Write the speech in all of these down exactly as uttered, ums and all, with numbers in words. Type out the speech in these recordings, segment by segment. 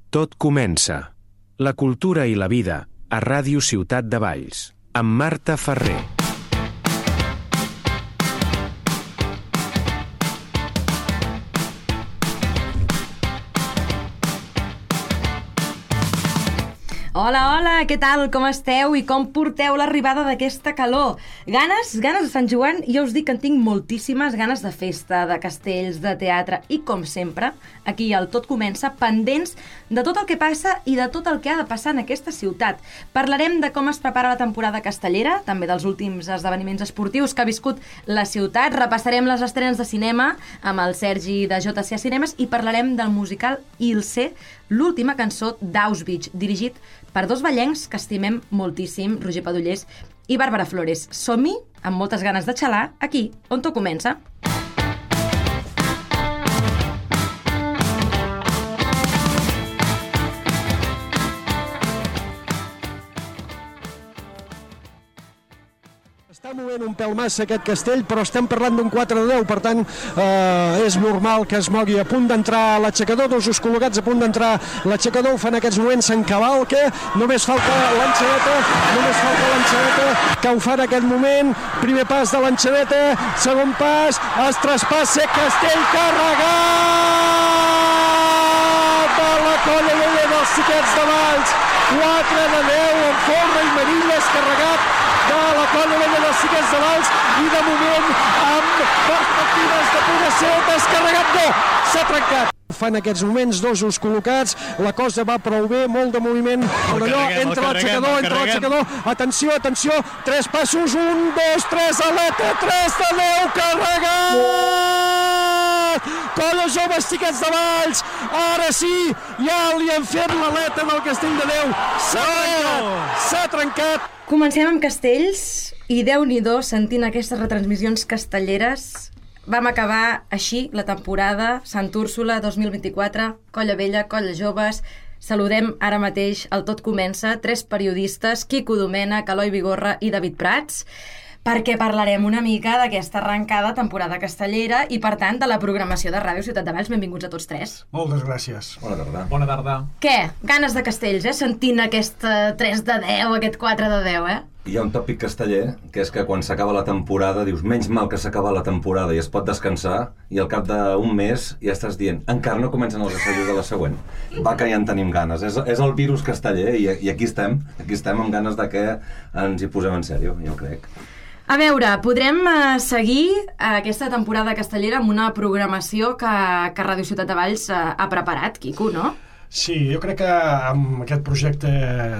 Tot comença. La cultura i la vida a Ràdio Ciutat de Valls, amb Marta Ferrer. Hola, hola, què tal? Com esteu? I com porteu l'arribada d'aquesta calor? Ganes? Ganes de Sant Joan? Jo us dic que en tinc moltíssimes ganes de festa, de castells, de teatre i, com sempre, aquí al Tot Comença, pendents de tot el que passa i de tot el que ha de passar en aquesta ciutat. Parlarem de com es prepara la temporada castellera, també dels últims esdeveniments esportius que ha viscut la ciutat, repassarem les estrenes de cinema amb el Sergi de J C A Cinemes i parlarem del musical Ilse, l'última cançó d'Auschwitz, dirigit per dos vallencs que estimem moltíssim, Roger Padullés i Bàrbara Flores. Som-hi, amb moltes ganes de xalar, aquí, on tot comença. Està movent un pèl massa aquest castell, però estem parlant d'un quatre de deu, per tant eh, és normal que es mogui. A punt d'entrar l'aixecador, dos us col·locats a punt d'entrar l'aixecador, ho fan en aquests moments, s'encavalca, només falta l'enxadeta, només falta l'enxadeta, que ho fa en aquest moment, primer pas de l'enxadeta, segon pas, es traspassa castell carregat de la Colla Vella dels Xiquets de Valls, quatre de deu, amb Forra i Marilles, carregat de la Colla Vella dels Xiquets de Valls, i de moment amb perspectives de poder ser descarregat. No, s'ha trencat. Fan aquests moments dos us col·locats, la cosa va prou bé, molt de moviment, però allò, entra l'aixecador, entra l'aixecador, atenció, atenció, tres passos, un, dos, tres, aleta, tres de deu, carregat! Colla Joves Xiquets de Valls, ara sí, ja li han fet l'aleta del castell de Déu, s'ha trencat, s'ha trencat. Comencem amb castells i Déu-n'hi-do sentint aquestes retransmissions castelleres. Vam acabar així la temporada Sant Úrsula dos mil vint-i-quatre, Colla Vella, Colla Joves. Saludem ara mateix el Tot Comença, tres periodistes, Quico Domènech, Eloi Vigorra i David Prats, perquè parlarem una mica d'aquesta arrencada temporada castellera i, per tant, de la programació de Ràdio Ciutat de Valls. Benvinguts a tots tres. Moltes gràcies. Bona tarda. Bona tarda. Què? Ganes de castells, eh? Sentint aquest tres de deu, aquest quatre de deu, eh? Hi ha un tòpic casteller, que és que quan s'acaba la temporada dius, menys mal que s'acaba la temporada i es pot descansar, i al cap d'un mes ja estàs dient, encara no comencen els assajos de la següent. Va que ja en tenim ganes. És, és el virus casteller i, i aquí estem, aquí estem amb ganes de que ens hi posem en sèrio, jo crec. A veure, podrem uh, seguir uh, aquesta temporada castellera amb una programació que, que Ràdio Ciutat de Valls uh, ha preparat, Quico, no? Sí, jo crec que amb aquest projecte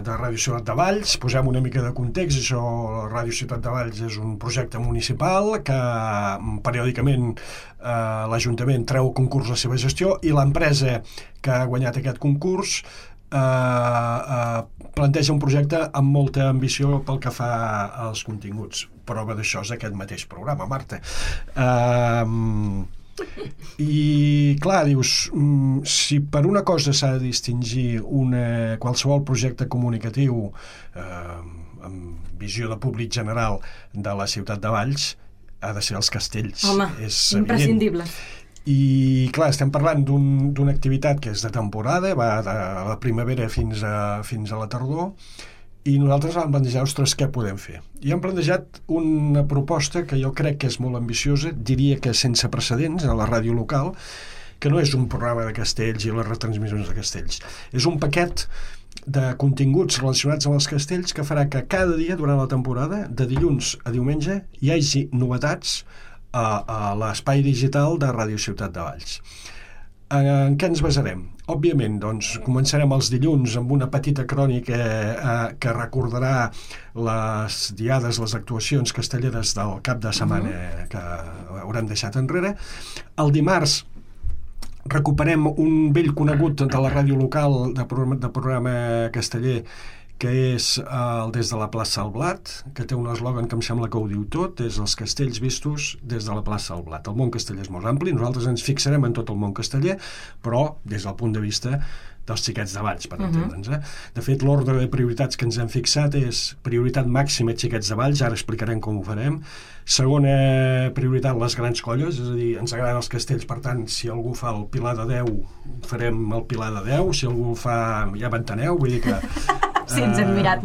de Ràdio Ciutat de Valls posem una mica de context. Això, Ràdio Ciutat de Valls és un projecte municipal que periòdicament eh, l'Ajuntament treu concurs la seva gestió i l'empresa que ha guanyat aquest concurs eh, eh, planteja un projecte amb molta ambició pel que fa als continguts. Prova d'això és aquest mateix programa, Marta. Eh... I clar, dius, si per una cosa s'ha de distingir una, qualsevol projecte comunicatiu eh, amb visió de públic general de la ciutat de Valls, ha de ser els castells. Home, és imprescindible. Evident. I clar, estem parlant d'un, d'una activitat que és de temporada, va de la primavera fins a, fins a la tardor, i nosaltres vam plantejar, ostres, què podem fer? I hem plantejat una proposta que jo crec que és molt ambiciosa, diria que sense precedents a la ràdio local, que no és un programa de castells i les retransmissions de castells. És un paquet de continguts relacionats amb els castells que farà que cada dia durant la temporada, de dilluns a diumenge, hi hagi novetats a, a l'espai digital de Ràdio Ciutat de Valls. En què ens basarem? Òbviament, doncs, començarem els dilluns amb una petita crònica eh, que recordarà les diades, les actuacions castelleres del cap de setmana uh-huh. que haurem deixat enrere. El dimarts recuperem un vell conegut de la ràdio local de programa, de programa casteller, que és el Des de la plaça al Blat, que té un eslògan que em sembla que ho diu tot, és els castells vistos des de la plaça al Blat. El món casteller és molt ampli, nosaltres ens fixarem en tot el món casteller, però des del punt de vista dels xiquets de Valls, per uh-huh. entendre'ns. Eh? De fet, l'ordre de prioritats que ens hem fixat és prioritat màxima xiquets de Valls, ara explicarem com ho farem. Segona prioritat, les grans colles, és a dir, ens agraden els castells, per tant, si algú fa el Pilar de deu, farem el Pilar de deu, si algú fa... ja m'enteneu, vull dir que... Sí, ens hem mirat.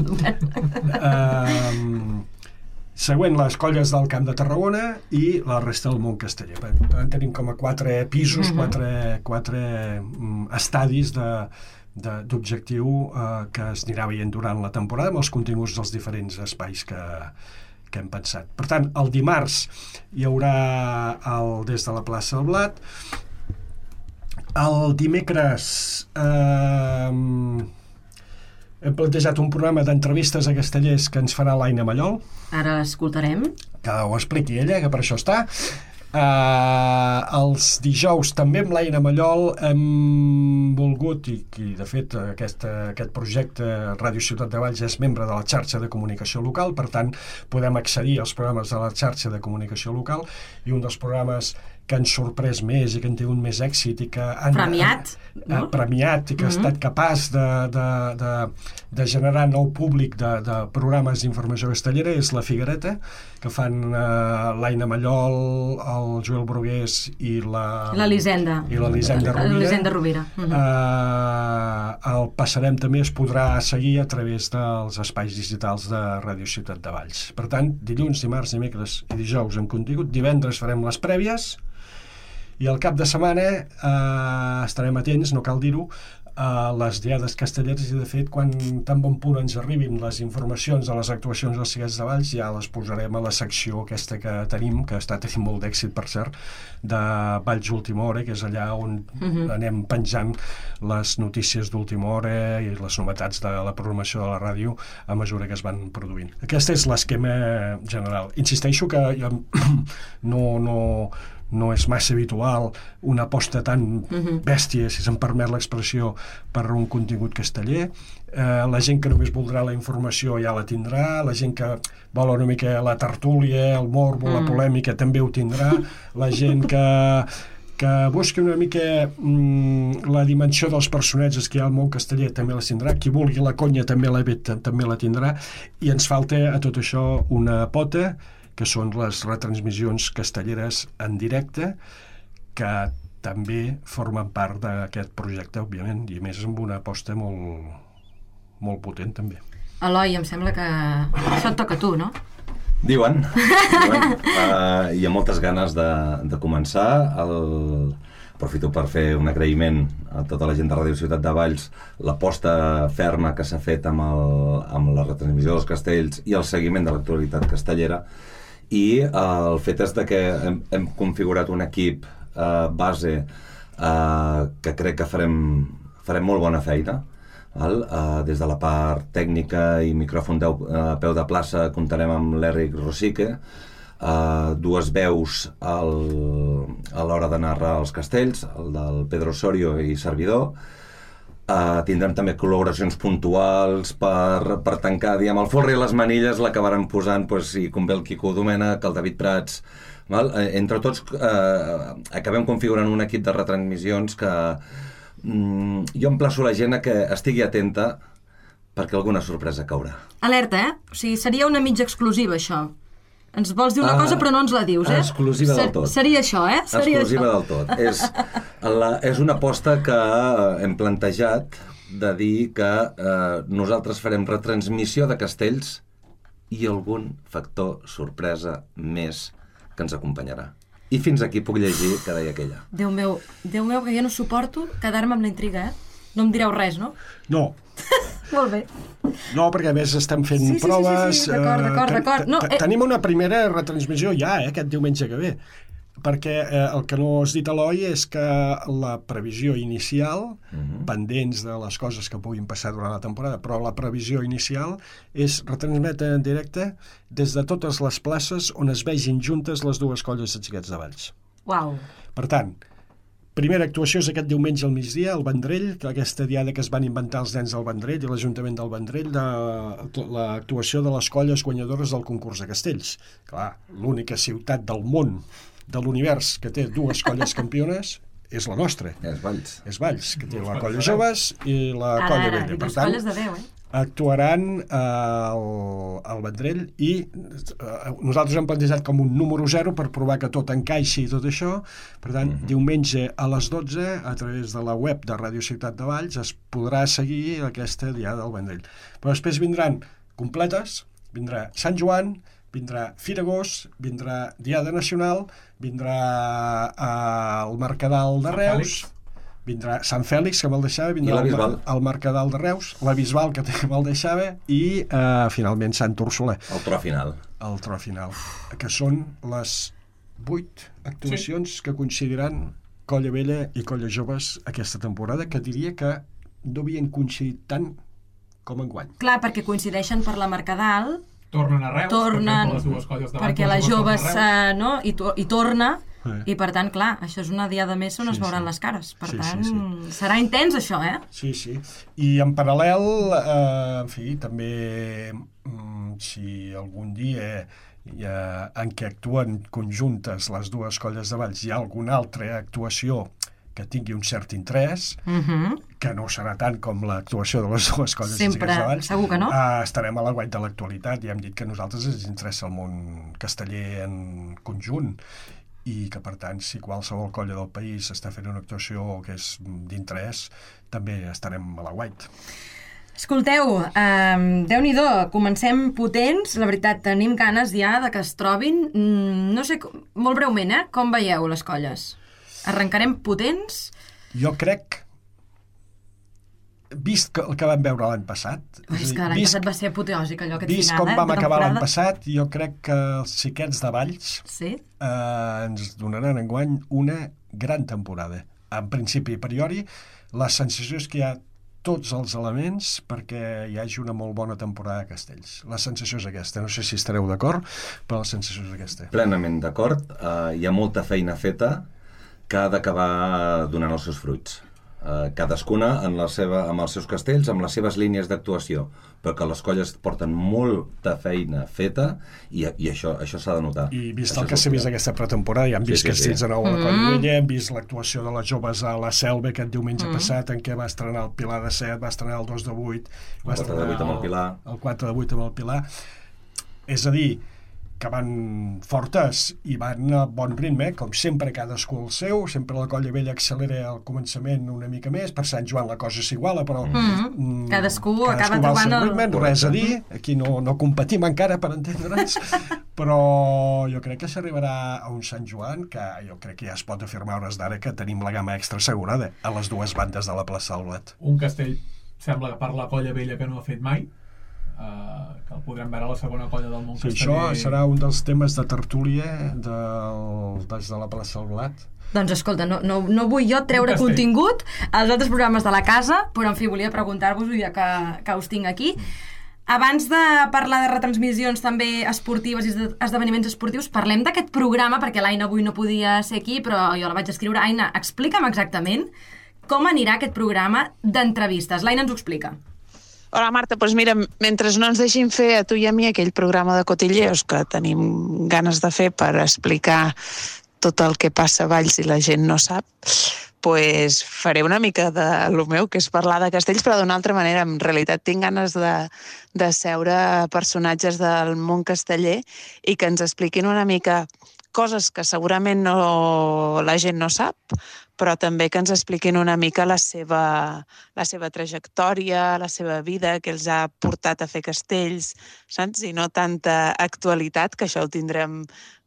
Uh, següent, les colles del Camp de Tarragona i la resta del món casteller. Per tant, tenim com a quatre pisos, uh-huh. quatre, quatre um, estadis de, de, d'objectiu uh, que es anirà veient durant la temporada amb els continguts dels diferents espais que, que hem pensat. Per tant, el dimarts hi haurà el Des de la plaça del Blat. El dimecres... Uh, hem plantejat un programa d'entrevistes a castellers que ens farà l'Aina Mallol. Ara l'escoltarem. Que ho expliqui ella, que per això està. Uh, els dijous també amb l'Aina Mallol hem volgut, i, i de fet aquest, aquest projecte Ràdio Ciutat de Valls és membre de la xarxa de comunicació local, per tant podem accedir als programes de la xarxa de comunicació local, i un dels programes que han sorprès més i que han tingut més èxit i que han premiat, no? premiat i que mm-hmm. ha estat capaç de, de, de, de generar nou públic de, de programes d'informació castellera és La Figuereta, que fan uh, l'Aina Mallol, el Joel Brugués i la... l'Elisenda. I l'Elisenda Rovira. L'Elisenda Rovira. Mm-hmm. Uh, el Passarem també es podrà seguir a través dels espais digitals de Ràdio Ciutat de Valls. Per tant, dilluns, dimarts, dimecres i dijous en contingut. Divendres farem les prèvies. I al cap de setmana eh, estarem atents, no cal dir-ho, a les diades castelleres, i de fet quan tan bon punt ens arribin les informacions de les actuacions dels Xiquets de Valls ja les posarem a la secció aquesta que tenim, que està tenint molt d'èxit per cert, de Valls Última Hora, que és allà on uh-huh. anem penjant les notícies d'última hora i les novetats de la programació de la ràdio a mesura que es van produint. Aquest és l'esquema general. Insisteixo que jo no... no no és massa habitual una aposta tan uh-huh. bèstia, si se'm permet l'expressió, per un contingut casteller. Eh, la gent que només voldrà la informació ja la tindrà, la gent que vol una mica la tertúlia, el morbo, uh-huh. la polèmica també ho tindrà, la gent que que busqui una mica mm, la dimensió dels personatges que hi ha al món casteller també la tindrà, qui vulgui la conya també la, també la tindrà, i ens falta a tot això una pota, que són les retransmissions castelleres en directe, que també formen part d'aquest projecte, òbviament, i a més amb una aposta molt, molt potent, també. Eloi, em sembla que això et toca a tu, no? Diuen, diuen. Uh, hi ha moltes ganes de, de començar. El... Aprofito per fer un agraïment a tota la gent de Ràdio Ciutat de Valls, l'aposta ferma que s'ha fet amb, el, amb la retransmissió dels castells i el seguiment de l'actualitat castellera. I eh, el fet és de que hem, hem configurat un equip eh, base eh, que crec que farem, farem molt bona feina. Val? Eh, des de la part tècnica i micròfon a eh, peu de plaça comptarem amb l'Eric Rosique, eh, dues veus al, a l'hora de narrar els castells, el del Pedro Osorio i servidor. Uh, tindrem també col·laboracions puntuals per, per tancar, diguem, el folre i les manilles l'acabaran posant, pues, si convé el Quico Domènech, el David Prats, val? Uh, entre tots uh, acabem configurant un equip de retransmissions que um, jo emplaço la gent a que estigui atenta perquè alguna sorpresa caurà. Alerta, eh? O sigui, seria una mitja exclusiva, això. Ens vols dir una cosa, però no ens la dius, eh? Exclusiva del tot. Seria això, eh? Seria exclusiva això. del tot. És, la, és una aposta que hem plantejat de dir que eh, nosaltres farem retransmissió de castells i algun factor sorpresa més que ens acompanyarà. I fins aquí puc llegir que deia aquella. Déu meu, Déu meu, que ja no suporto quedar-me amb la intriga, eh? No em direu res, no? No. Molt bé. No, perquè a més estem fent sí, sí, proves... Sí, sí, sí, d'acord, d'acord, eh, d'acord. No, eh... Tenim una primera retransmissió ja, eh, aquest diumenge que ve. Perquè eh, el que no has dit, Eloi, és que la previsió inicial, uh-huh. pendents de les coses que puguin passar durant la temporada, però la previsió inicial és retransmetre en directe des de totes les places on es vegin juntes les dues colles de Xiquets de Valls. Uau. Per tant, primera actuació és aquest diumenge al migdia, al Vendrell, que aquesta diada que es van inventar els nens del Vendrell i l'Ajuntament del Vendrell, de l'actuació de les colles guanyadores del concurs de castells. Clar, l'única ciutat del món, de l'univers, que té dues colles campiones és la nostra. És Valls. És Valls, que té la colla joves i la colla Ara, vella. i Per dues tant, colles de deu, eh? actuaran eh, al, al Vendrell i eh, nosaltres hem plantejat com un número zero per provar que tot encaixi i tot això. Per tant, mm-hmm. diumenge a les dotze, a través de la web de Ràdio Ciutat de Valls, es podrà seguir aquesta diada del Vendrell. Però després vindran completes, vindrà Sant Joan, vindrà Fira Gos, vindrà Diada Nacional, vindrà eh, el Mercadal de Reus, vindrà Sant Fèlix, que me'l deixava, vindrà el, el Mercadal de Reus, la Bisbal, que també me'l deixava, i eh, finalment Sant Úrsula. El tro final. El tro final, que són les vuit actuacions sí. que coincidiran Colla Vella i Colla Joves aquesta temporada, que diria que no havien coincidit tant com enguany. Clar, perquè coincideixen per la Mercadal, tornen a Reus, tornen, per les dues colles de perquè les joves uh, no? I, to i torna, eh. i per tant, clar, això és una diada més on sí, es veuran sí. les cares. Per sí, tant, sí, sí. serà intens això, eh? Sí, sí. I en paral·lel, eh, en fi, també mm, si algun dia hi ha, en què actuen conjuntes les dues colles de Valls, hi ha alguna altra actuació que tingui un cert interès, uh-huh. que no serà tant com l'actuació de les dues colles sempre, de Valls, segur que no? Uh, estarem a la guait de l'actualitat. Ja hem dit que a nosaltres ens interessa el món casteller en conjunt i que, per tant, si qualsevol colla del país està fent una actuació que és d'interès, també estarem a la guait. Escolteu, um, Déu-n'hi-do, comencem potents, la veritat, tenim ganes ja de que es trobin, mm, no sé, molt breument, eh? Com veieu les colles? Arrencarem potents? Jo crec, vist el que vam veure l'any passat... Oh, és que l'any passat va ser apoteòsic, allò, aquest vist final, com eh, vam acabar temporada. l'any passat, jo crec que els xiquets de Valls sí? eh, ens donaran enguany una gran temporada. En principi, a priori, la sensació és que hi ha tots els elements perquè hi hagi una molt bona temporada a Castells. La sensació és aquesta. No sé si estareu d'acord, però la sensació és aquesta. Plenament d'acord. Uh, hi ha molta feina feta que ha d'acabar donant els seus fruits. Uh, cadascuna en la seva, amb els seus castells, amb les seves línies d'actuació, perquè les colles porten molta feina feta i, i això, això s'ha de notar. I vist això el que s'ha vist aquesta pretemporada, ja hem vist sí, sí, castells sí. de nou a la Colla Vella, hem vist l'actuació de les joves a la Selva aquest diumenge mm. passat, en què va estrenar el Pilar de set, va estrenar el dos de vuit, va el quatre de vuit amb el Pilar. El quatre de vuit amb el Pilar. És a dir, que van fortes i van a bon ritme, com sempre cadascú el seu, sempre la Colla Vella accelera al començament una mica més, per Sant Joan la cosa s'iguala, però mm. Mm, cadascú, cadascú acaba trobant el ritme, res a dir, aquí no, no competim encara per entendre'ns, però jo crec que s'arribarà a un Sant Joan que jo crec que ja es pot afirmar hores d'ara que tenim la gamma extra assegurada a les dues bandes de la plaça del Blat. Un castell sembla que per la Colla Vella que no ha fet mai, Uh, que el podrem veure a la segona colla del món sí, casteller. Això serà un dels temes de tertúlia del, des de la plaça del Blat. Doncs escolta, no, no, no vull jo treure contingut als altres programes de la casa, però en fi, volia preguntar-vos ja que, que us tinc aquí. Abans de parlar de retransmissions també esportives i esdeveniments esportius, parlem d'aquest programa, perquè l'Aina avui no podia ser aquí, però jo la vaig escriure. Aina, explica'm exactament com anirà aquest programa d'entrevistes. L'Aina ens ho explica. Hola, Marta, doncs mira, mentre no ens deixin fer a tu i a mi aquell programa de cotilleos que tenim ganes de fer per explicar tot el que passa a Valls i la gent no sap, doncs faré una mica de lo meu, que és parlar de castells, però d'una altra manera. En realitat tinc ganes de, de seure personatges del món casteller i que ens expliquin una mica coses que segurament no, la gent no sap, però també que ens expliquin una mica la seva, la seva trajectòria, la seva vida, que els ha portat a fer castells, saps? I no tanta actualitat, que això ho tindrem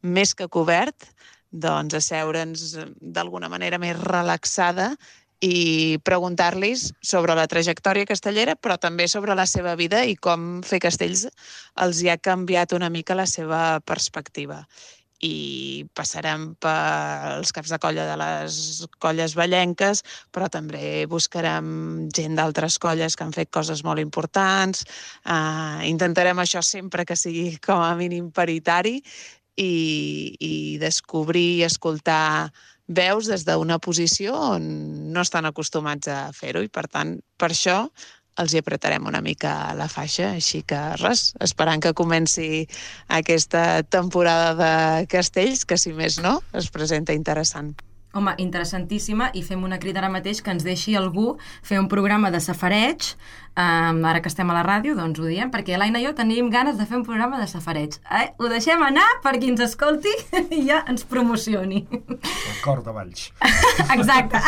més que cobert, doncs asseure'ns d'alguna manera més relaxada i preguntar-los sobre la trajectòria castellera, però també sobre la seva vida i com fer castells els hi ha canviat una mica la seva perspectiva. I passarem pels caps de colla de les colles vallenques, però també buscarem gent d'altres colles que han fet coses molt importants. Uh, intentarem això sempre que sigui com a mínim paritari i, i descobrir i escoltar veus des d'una posició on no estan acostumats a fer-ho i, per tant, per això els hi apretarem una mica la faixa, així que res, esperant que comenci aquesta temporada de castells, que si més no, es presenta interessant. Home, interessantíssima, i fem una crida ara mateix que ens deixi algú fer un programa de safareig, um, ara que estem a la ràdio, doncs ho diem, perquè l'Aina i jo tenim ganes de fer un programa de safareig. Eh? Ho deixem anar per qui ens escolti i ja ens promocioni. El cor de Valls. Exacte.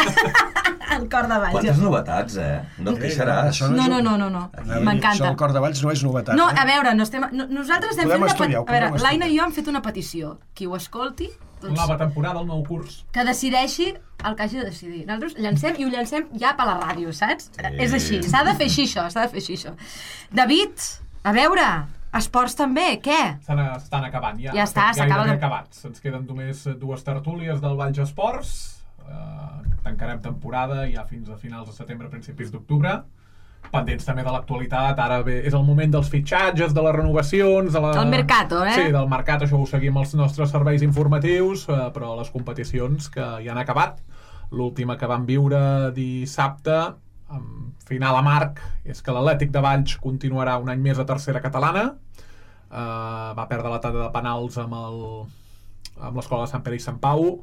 El cor de Valls. Quantes novetats, eh? No et queixaràs. No, no, no, no, no. M'encanta. Això del cor de Valls no és novetat. No, eh? a veure, no estem... no, nosaltres hem Podem fet estudiar, una... A veure, podem l'Aina i estudiar. jo hem fet una petició. Qui ho escolti, doncs, Nova temporada, el nou curs. que decideixi el que hagi de decidir. Nosaltres llancem i ho llancem ja per la ràdio, saps? Sí. És així, s'ha de fer així això, s'ha de fer així això. David, a veure, esports també, què? Estan, estan acabant, ja. Ja està, s'acaba Gairebé de- acabats. Ens queden només dues tertúlies del Valls Esports. Uh, tancarem temporada ja fins a finals de setembre, principis d'octubre. Pendents també de l'actualitat, ara bé, és el moment dels fitxatges, de les renovacions... De la... El mercato, eh? Sí, del mercat, això ho seguim als nostres serveis informatius, eh, però les competicions que ja han acabat, l'última que vam viure dissabte, amb final a marc, és que l'Atlètic de Valls continuarà un any més a tercera catalana, eh, va perdre la tanda de penals amb el amb l'escola de Sant Pere i Sant Pau,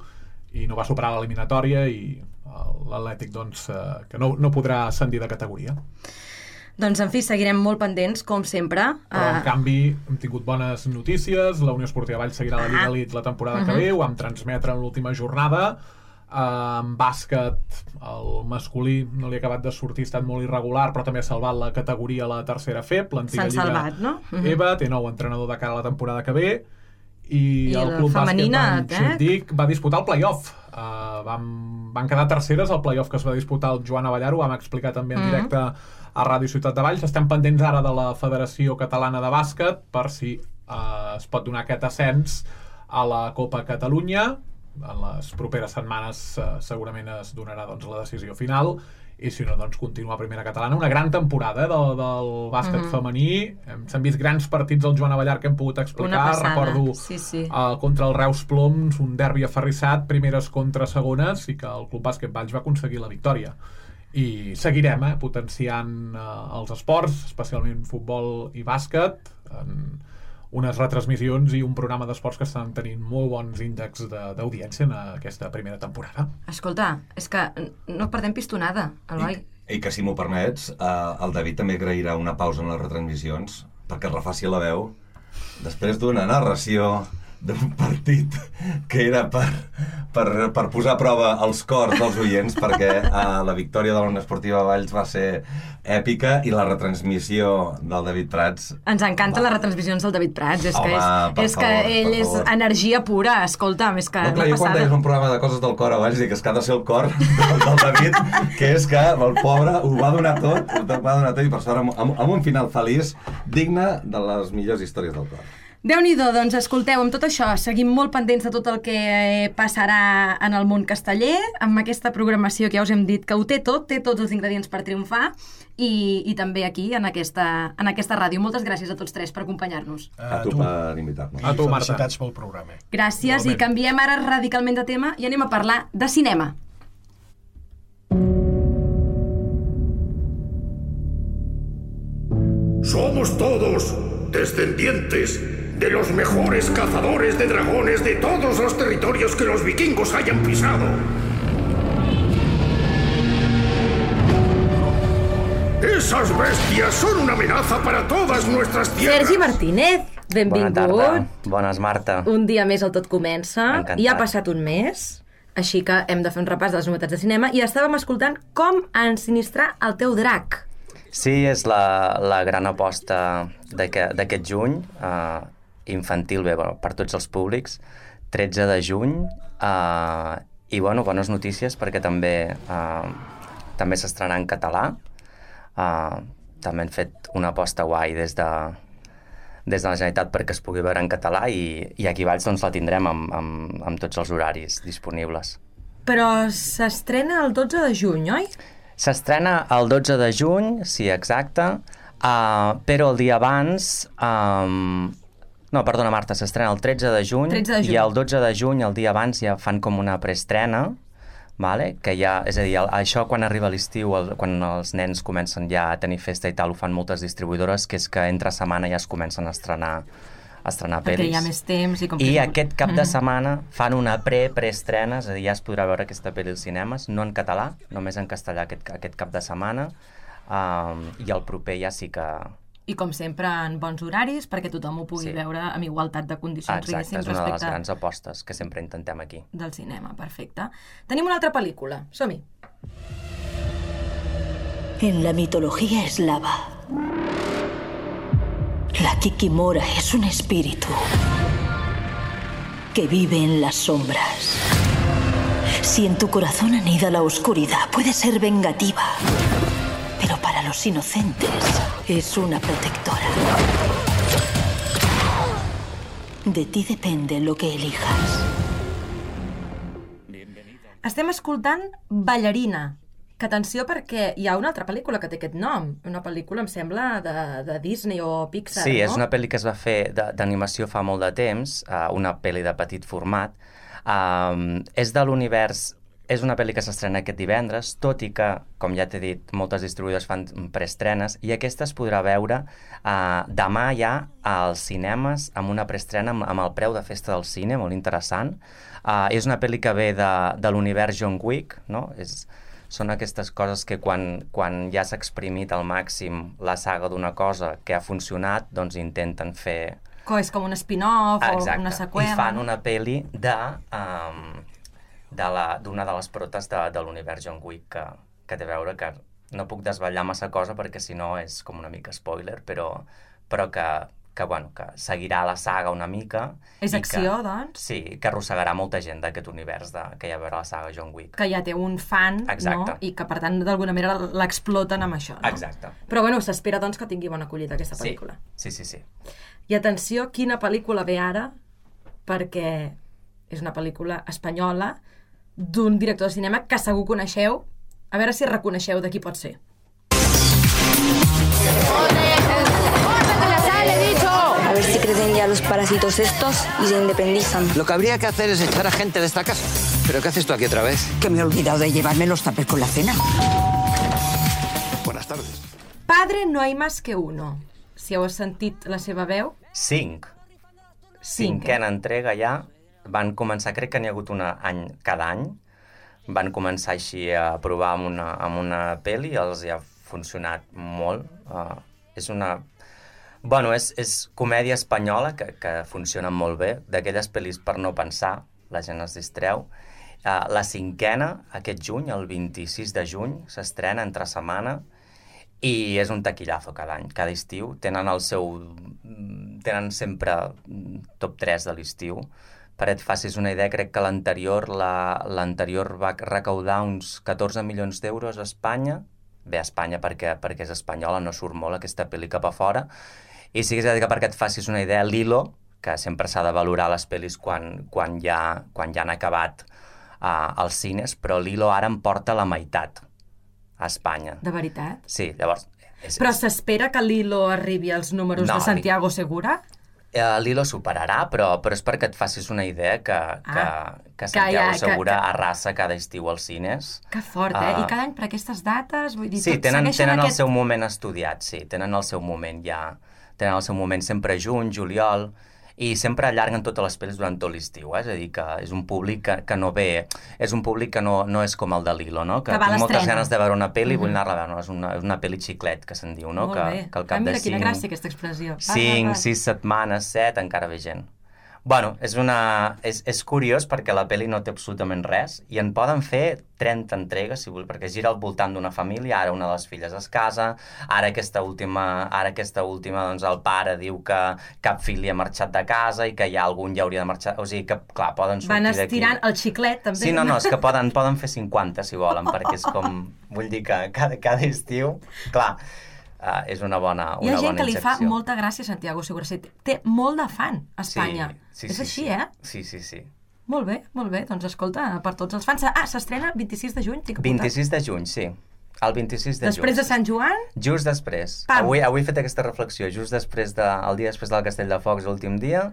i no va superar l'eliminatòria, i l'Atlètic, doncs, eh, que no, no podrà ascendir de categoria. Doncs, en fi, seguirem molt pendents, com sempre. Però, en Uh, canvi, hem tingut bones notícies. La Unió Esportiva Valls seguirà la Lliga Ah. Elite la temporada Uh-huh. que ve. Ho vam transmetre en l'última jornada. Uh, en bàsquet, el masculí no li ha acabat de sortir, ha estat molt irregular, però també ha salvat la categoria a la tercera F E P, l'antiga S'han Lliga salvat, no? Uh-huh. EVA, té nou entrenador de cara a la temporada que ve, i, I el la Club femenina, Bàsquet Van Xindic va disputar el play-off. Uh, van, van quedar terceres al play-off que es va disputar el Joan Avellar, ho vam explicar també en Mhm. directe a Ràdio Ciutat de Valls. Estem pendents ara de la Federació Catalana de Bàsquet per si uh, es pot donar aquest ascens a la Copa Catalunya. En les properes setmanes uh, segurament es donarà, doncs, la decisió final, i si no, doncs, continua a primera catalana. Una gran temporada eh, del, del bàsquet Mhm. femení. Hem- S'han vist grans partits del Joan Avellar que hem pogut explicar. Una passada, Recordo sí, sí. Uh, contra el Reus Ploms, un derbi aferrissat, primeres contra segones, i que el Club Bàsquet Valls va aconseguir la victòria. I seguirem eh, potenciant uh, els esports, especialment futbol i bàsquet, en unes retransmissions i un programa d'esports que estan tenint molt bons índexs de- d'audiència en aquesta primera temporada. Escolta, és que no perdem pistonada, Eloi. I, I que, si m'ho permets, eh, el David també agrairà una pausa en les retransmissions perquè es refaci la veu després d'una narració d'un partit que era per, per, per posar a prova els cors dels oients, perquè eh, la victòria de la Unió Esportiva Valls va ser èpica, i la retransmissió del David Prats... Ens encanten les retransmissions del David Prats, és Home, que, és, per és que favor, ell per és favor. energia pura, escolta'm, és que No, clar, una jo quan deies passada. un programa de coses del cor a Valls dic que és que ha de ser el cor del, del David, que és que el pobre ho va donar tot, ho va donar tot, i per sort amb, amb, amb un final feliç digne de les millors històries del cor. Déu-n'hi-do, doncs escolteu, amb tot això seguim molt pendents de tot el que eh, passarà en el món casteller, amb aquesta programació que ja us hem dit que ho té tot, té tots els ingredients per triomfar, i, i també aquí, en aquesta, en aquesta ràdio. Moltes gràcies a tots tres per acompanyar-nos. A tu per invitar-nos. A tu, Marta. Felicitats pel programa. Gràcies, i Igualment. canviem ara radicalment de tema i anem a parlar de cinema. Somos todos descendientes de los mejores cazadores de dragones de todos los territorios que los vikingos hayan pisado. Esas bestias son una amenaza para todas nuestras tierras. Sergi Martínez, Bona tarda. benvingut. Bones, Marta. Un dia més el Tot Comença. Encantat. I ha passat un mes, així que hem de fer un repàs de les novetats de cinema, i estàvem escoltant com ensinistrar el teu drac. Sí, és la, la gran aposta d'aquest d'aquest juny, uh, infantil, bé, bueno, per tots els públics, tretze de juny, uh, i, bueno, bones notícies perquè també uh, també s'estrenarà en català. Uh, també han fet una aposta guai des de, des de la Generalitat perquè es pugui veure en català, i, i aquí a Valls doncs, la tindrem amb, amb, amb tots els horaris disponibles. Però s'estrena el dotze de juny, oi? S'estrena el dotze de juny, sí, exacte, uh, però el dia abans... Um, No, perdona, Marta, s'estrena el tretze de juny, tretze de juny i el dotze de juny, el dia abans, ja fan com una preestrena, vale? Que ja, és a dir, el, això quan arriba l'estiu, el, quan els nens comencen ja a tenir festa i tal, ho fan moltes distribuïdores, que és que entre setmana ja es comencen a estrenar a estrenar perquè pel·lis. hi ha més temps i com I que... aquest cap de setmana fan una pre-preestrena, és a dir, ja es podrà veure aquesta pel·li als cinemes, no en català, només en castellà aquest, aquest cap de setmana, um, i el proper ja sí que... I com sempre en bons horaris, perquè tothom ho pugui Sí. veure amb igualtat de condicions. Exacte, diguéssim, és una de les respecte grans apostes que sempre intentem aquí. del cinema, perfecte. Tenim una altra pel·lícula, som-hi. En la mitología eslava, la Kikimora es un espíritu que vive en las sombras. Si en tu corazón anida la oscuridad, puede ser vengativa, pero para los inocentes es una protectora. De ti depende lo que elijas. Estem escoltant Ballarina, que atenció perquè hi ha una altra pel·lícula que té aquest nom, una pel·lícula, em sembla, de, de Disney o Pixar, Sí, no? és una pel·li que es va fer de- d'animació fa molt de temps, uh, una pel·li de petit format. Um, és de l'univers... És una pel·li que s'estrena aquest divendres, tot i que, com ja t'he dit, moltes distribuïdores fan preestrenes, i aquesta es podrà veure uh, demà ja als cinemes amb una preestrena amb, amb el preu de festa del cine, molt interessant. Uh, és una pel·li que ve de, de l'univers John Wick, no? És, són aquestes coses que quan, quan ja s'ha exprimit al màxim la saga d'una cosa que ha funcionat, doncs intenten fer... Que és com un spin-off o Exacte. una seqüela. I fan una pel·li de... Um, de la- d'una de, de les protes de, de l'univers John Wick que, que té a veure que no puc desvetllar massa cosa perquè si no és com una mica spoiler, però, però que, que, bueno, que seguirà la saga una mica. És i acció, que, doncs? Sí, que arrossegarà molta gent d'aquest univers de, que hi ha a veure la saga John Wick. Que ja té un fan, Exacte. no? I que, per tant, d'alguna manera l'exploten amb això, no? Exacte. Però, bueno, s'espera, doncs, que tingui bona acollida aquesta Sí, pel·lícula. sí, sí, sí. I atenció, quina pel·lícula ve ara, perquè és una pel·lícula espanyola d'un director de cinema que segur coneixeu. A veure si reconeixeu de qui pot ser. A ver si crecen ya los parásitos estos y se independizan. Lo que habría que hacer es echar a gente de esta casa. ¿Pero qué haces tú aquí otra vez? Que me he olvidado de llevarme los tapes con la cena. Buenas tardes. Padre no hay más que uno. Si heu sentit la seva veu, Cinc. Cinc, Cinquena entrega ja. Van començar, crec que n'hi ha hagut una any, cada any. Van començar així a provar amb una, amb una pel·li i els hi ha funcionat molt. Uh, és una... Bueno, és, és comèdia espanyola que, que funciona molt bé. D'aquelles pel·lis per no pensar, la gent es distreu. Uh, la cinquena, aquest juny, el vint-i-sis de juny, s'estrena entre setmana i és un taquillazo cada any, cada estiu. Tenen el seu... Tenen sempre top tres de l'estiu. Per et facis una idea, crec que l'anterior la, l'anterior va recaudar uns catorze milions d'euros a Espanya. Bé, a Espanya perquè, perquè és espanyola, no surt molt aquesta pel·li cap a fora. I sí que és a dir que perquè et facis una idea, Lilo, que sempre s'ha de valorar les pel·lis quan, quan, ja, quan ja han acabat uh, als cines, però Lilo ara em porta la meitat a Espanya. de veritat. Sí, llavors... És, Però s'espera que Lilo arribi als números No, de Santiago Segura? Eh, Lilo superarà, però, però és perquè et facis una idea que, que, Ah, que que Santiago ja- que- Segura que- arrasa cada estiu als cines. Que fort, eh? Ah. I cada any per aquestes dates? Vull dir, Sí, tot tenen, segueixen tenen aquest... el seu moment estudiat, sí, tenen el seu moment ja... Tenen el seu moment sempre juny, juliol, i sempre allarguen totes les pel·lis durant tot l'estiu, eh? És a dir, que és un públic que, que no ve... És un públic que no, no és com el de Lilo, no? Que, Que va a tinc moltes l'estrena. ganes de veure una pel·li i vull Mhm. anar-la a veure. No? És una, és una pel·li xiclet, que se'n diu, no? Molt Que, bé. que al cap ah, mira, de quina cinc... gràcia aquesta expressió. Va, cinc, va, va. sis setmanes, set, encara ve gent. Bueno, és, una, és, és curiós perquè la pel·li no té absolutament res i en poden fer trenta entregues, si vull, perquè gira al voltant d'una família, ara una de les filles es casa, ara aquesta última, ara aquesta última doncs el pare diu que cap fill li ha marxat de casa i que ja algun ja hauria de marxar, o sigui que, clar, poden sortir Van d'aquí. estirant el xiclet, també. Sí, no, no, és que poden, poden fer cinquanta, si volen, perquè és com, vull dir que cada, cada estiu, clar, uh, és una bona, una Hi ha gent bona que li fa injecció. molta gràcia a Santiago Segura. Sí, té molt de fan a Espanya. Sí, sí, és sí, així, sí. eh? Sí, sí, sí. Molt bé, molt bé. Doncs escolta, per tots els fans... Ah, s'estrena el vint-i-sis de juny, tinc apuntat. vint-i-sis de juny, sí. El vint-i-sis de juny. Després de Sant Joan? Just després. Pam. Avui, avui he fet aquesta reflexió. Just després de, el dia després del Castell de Focs, l'últim dia.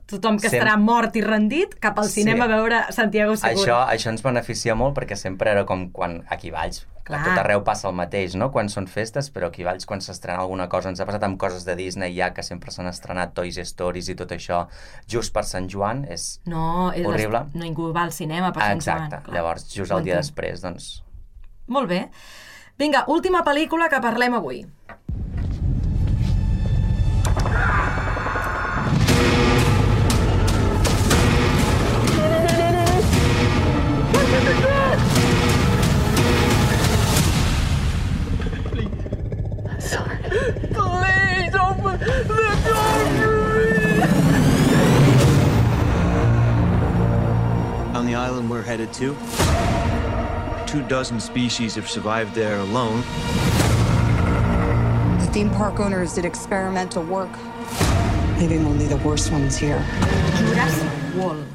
Tothom que Sem- estarà mort i rendit cap al Sí. cinema a veure Santiago Segura. Això, això ens beneficia molt perquè sempre era com quan aquí a Valls, Clar. a tot arreu passa el mateix, no? Quan són festes, però aquí a Valls quan s'estrena alguna cosa, ens ha passat amb coses de Disney ja, que sempre s'han estrenat Toy Stories i tot això, just per Sant Joan, és No, és horrible. no ningú va al cinema per Ah, Sant Joan. exacte, clar. llavors just Ho el dia entenc. després, doncs... Molt bé. Vinga, última pel·lícula que parlem avui. Please open the door for me! On the island we're headed to, two dozen species have survived there alone. The theme park owners did experimental work, leaving only the worst ones here. Jurassic World.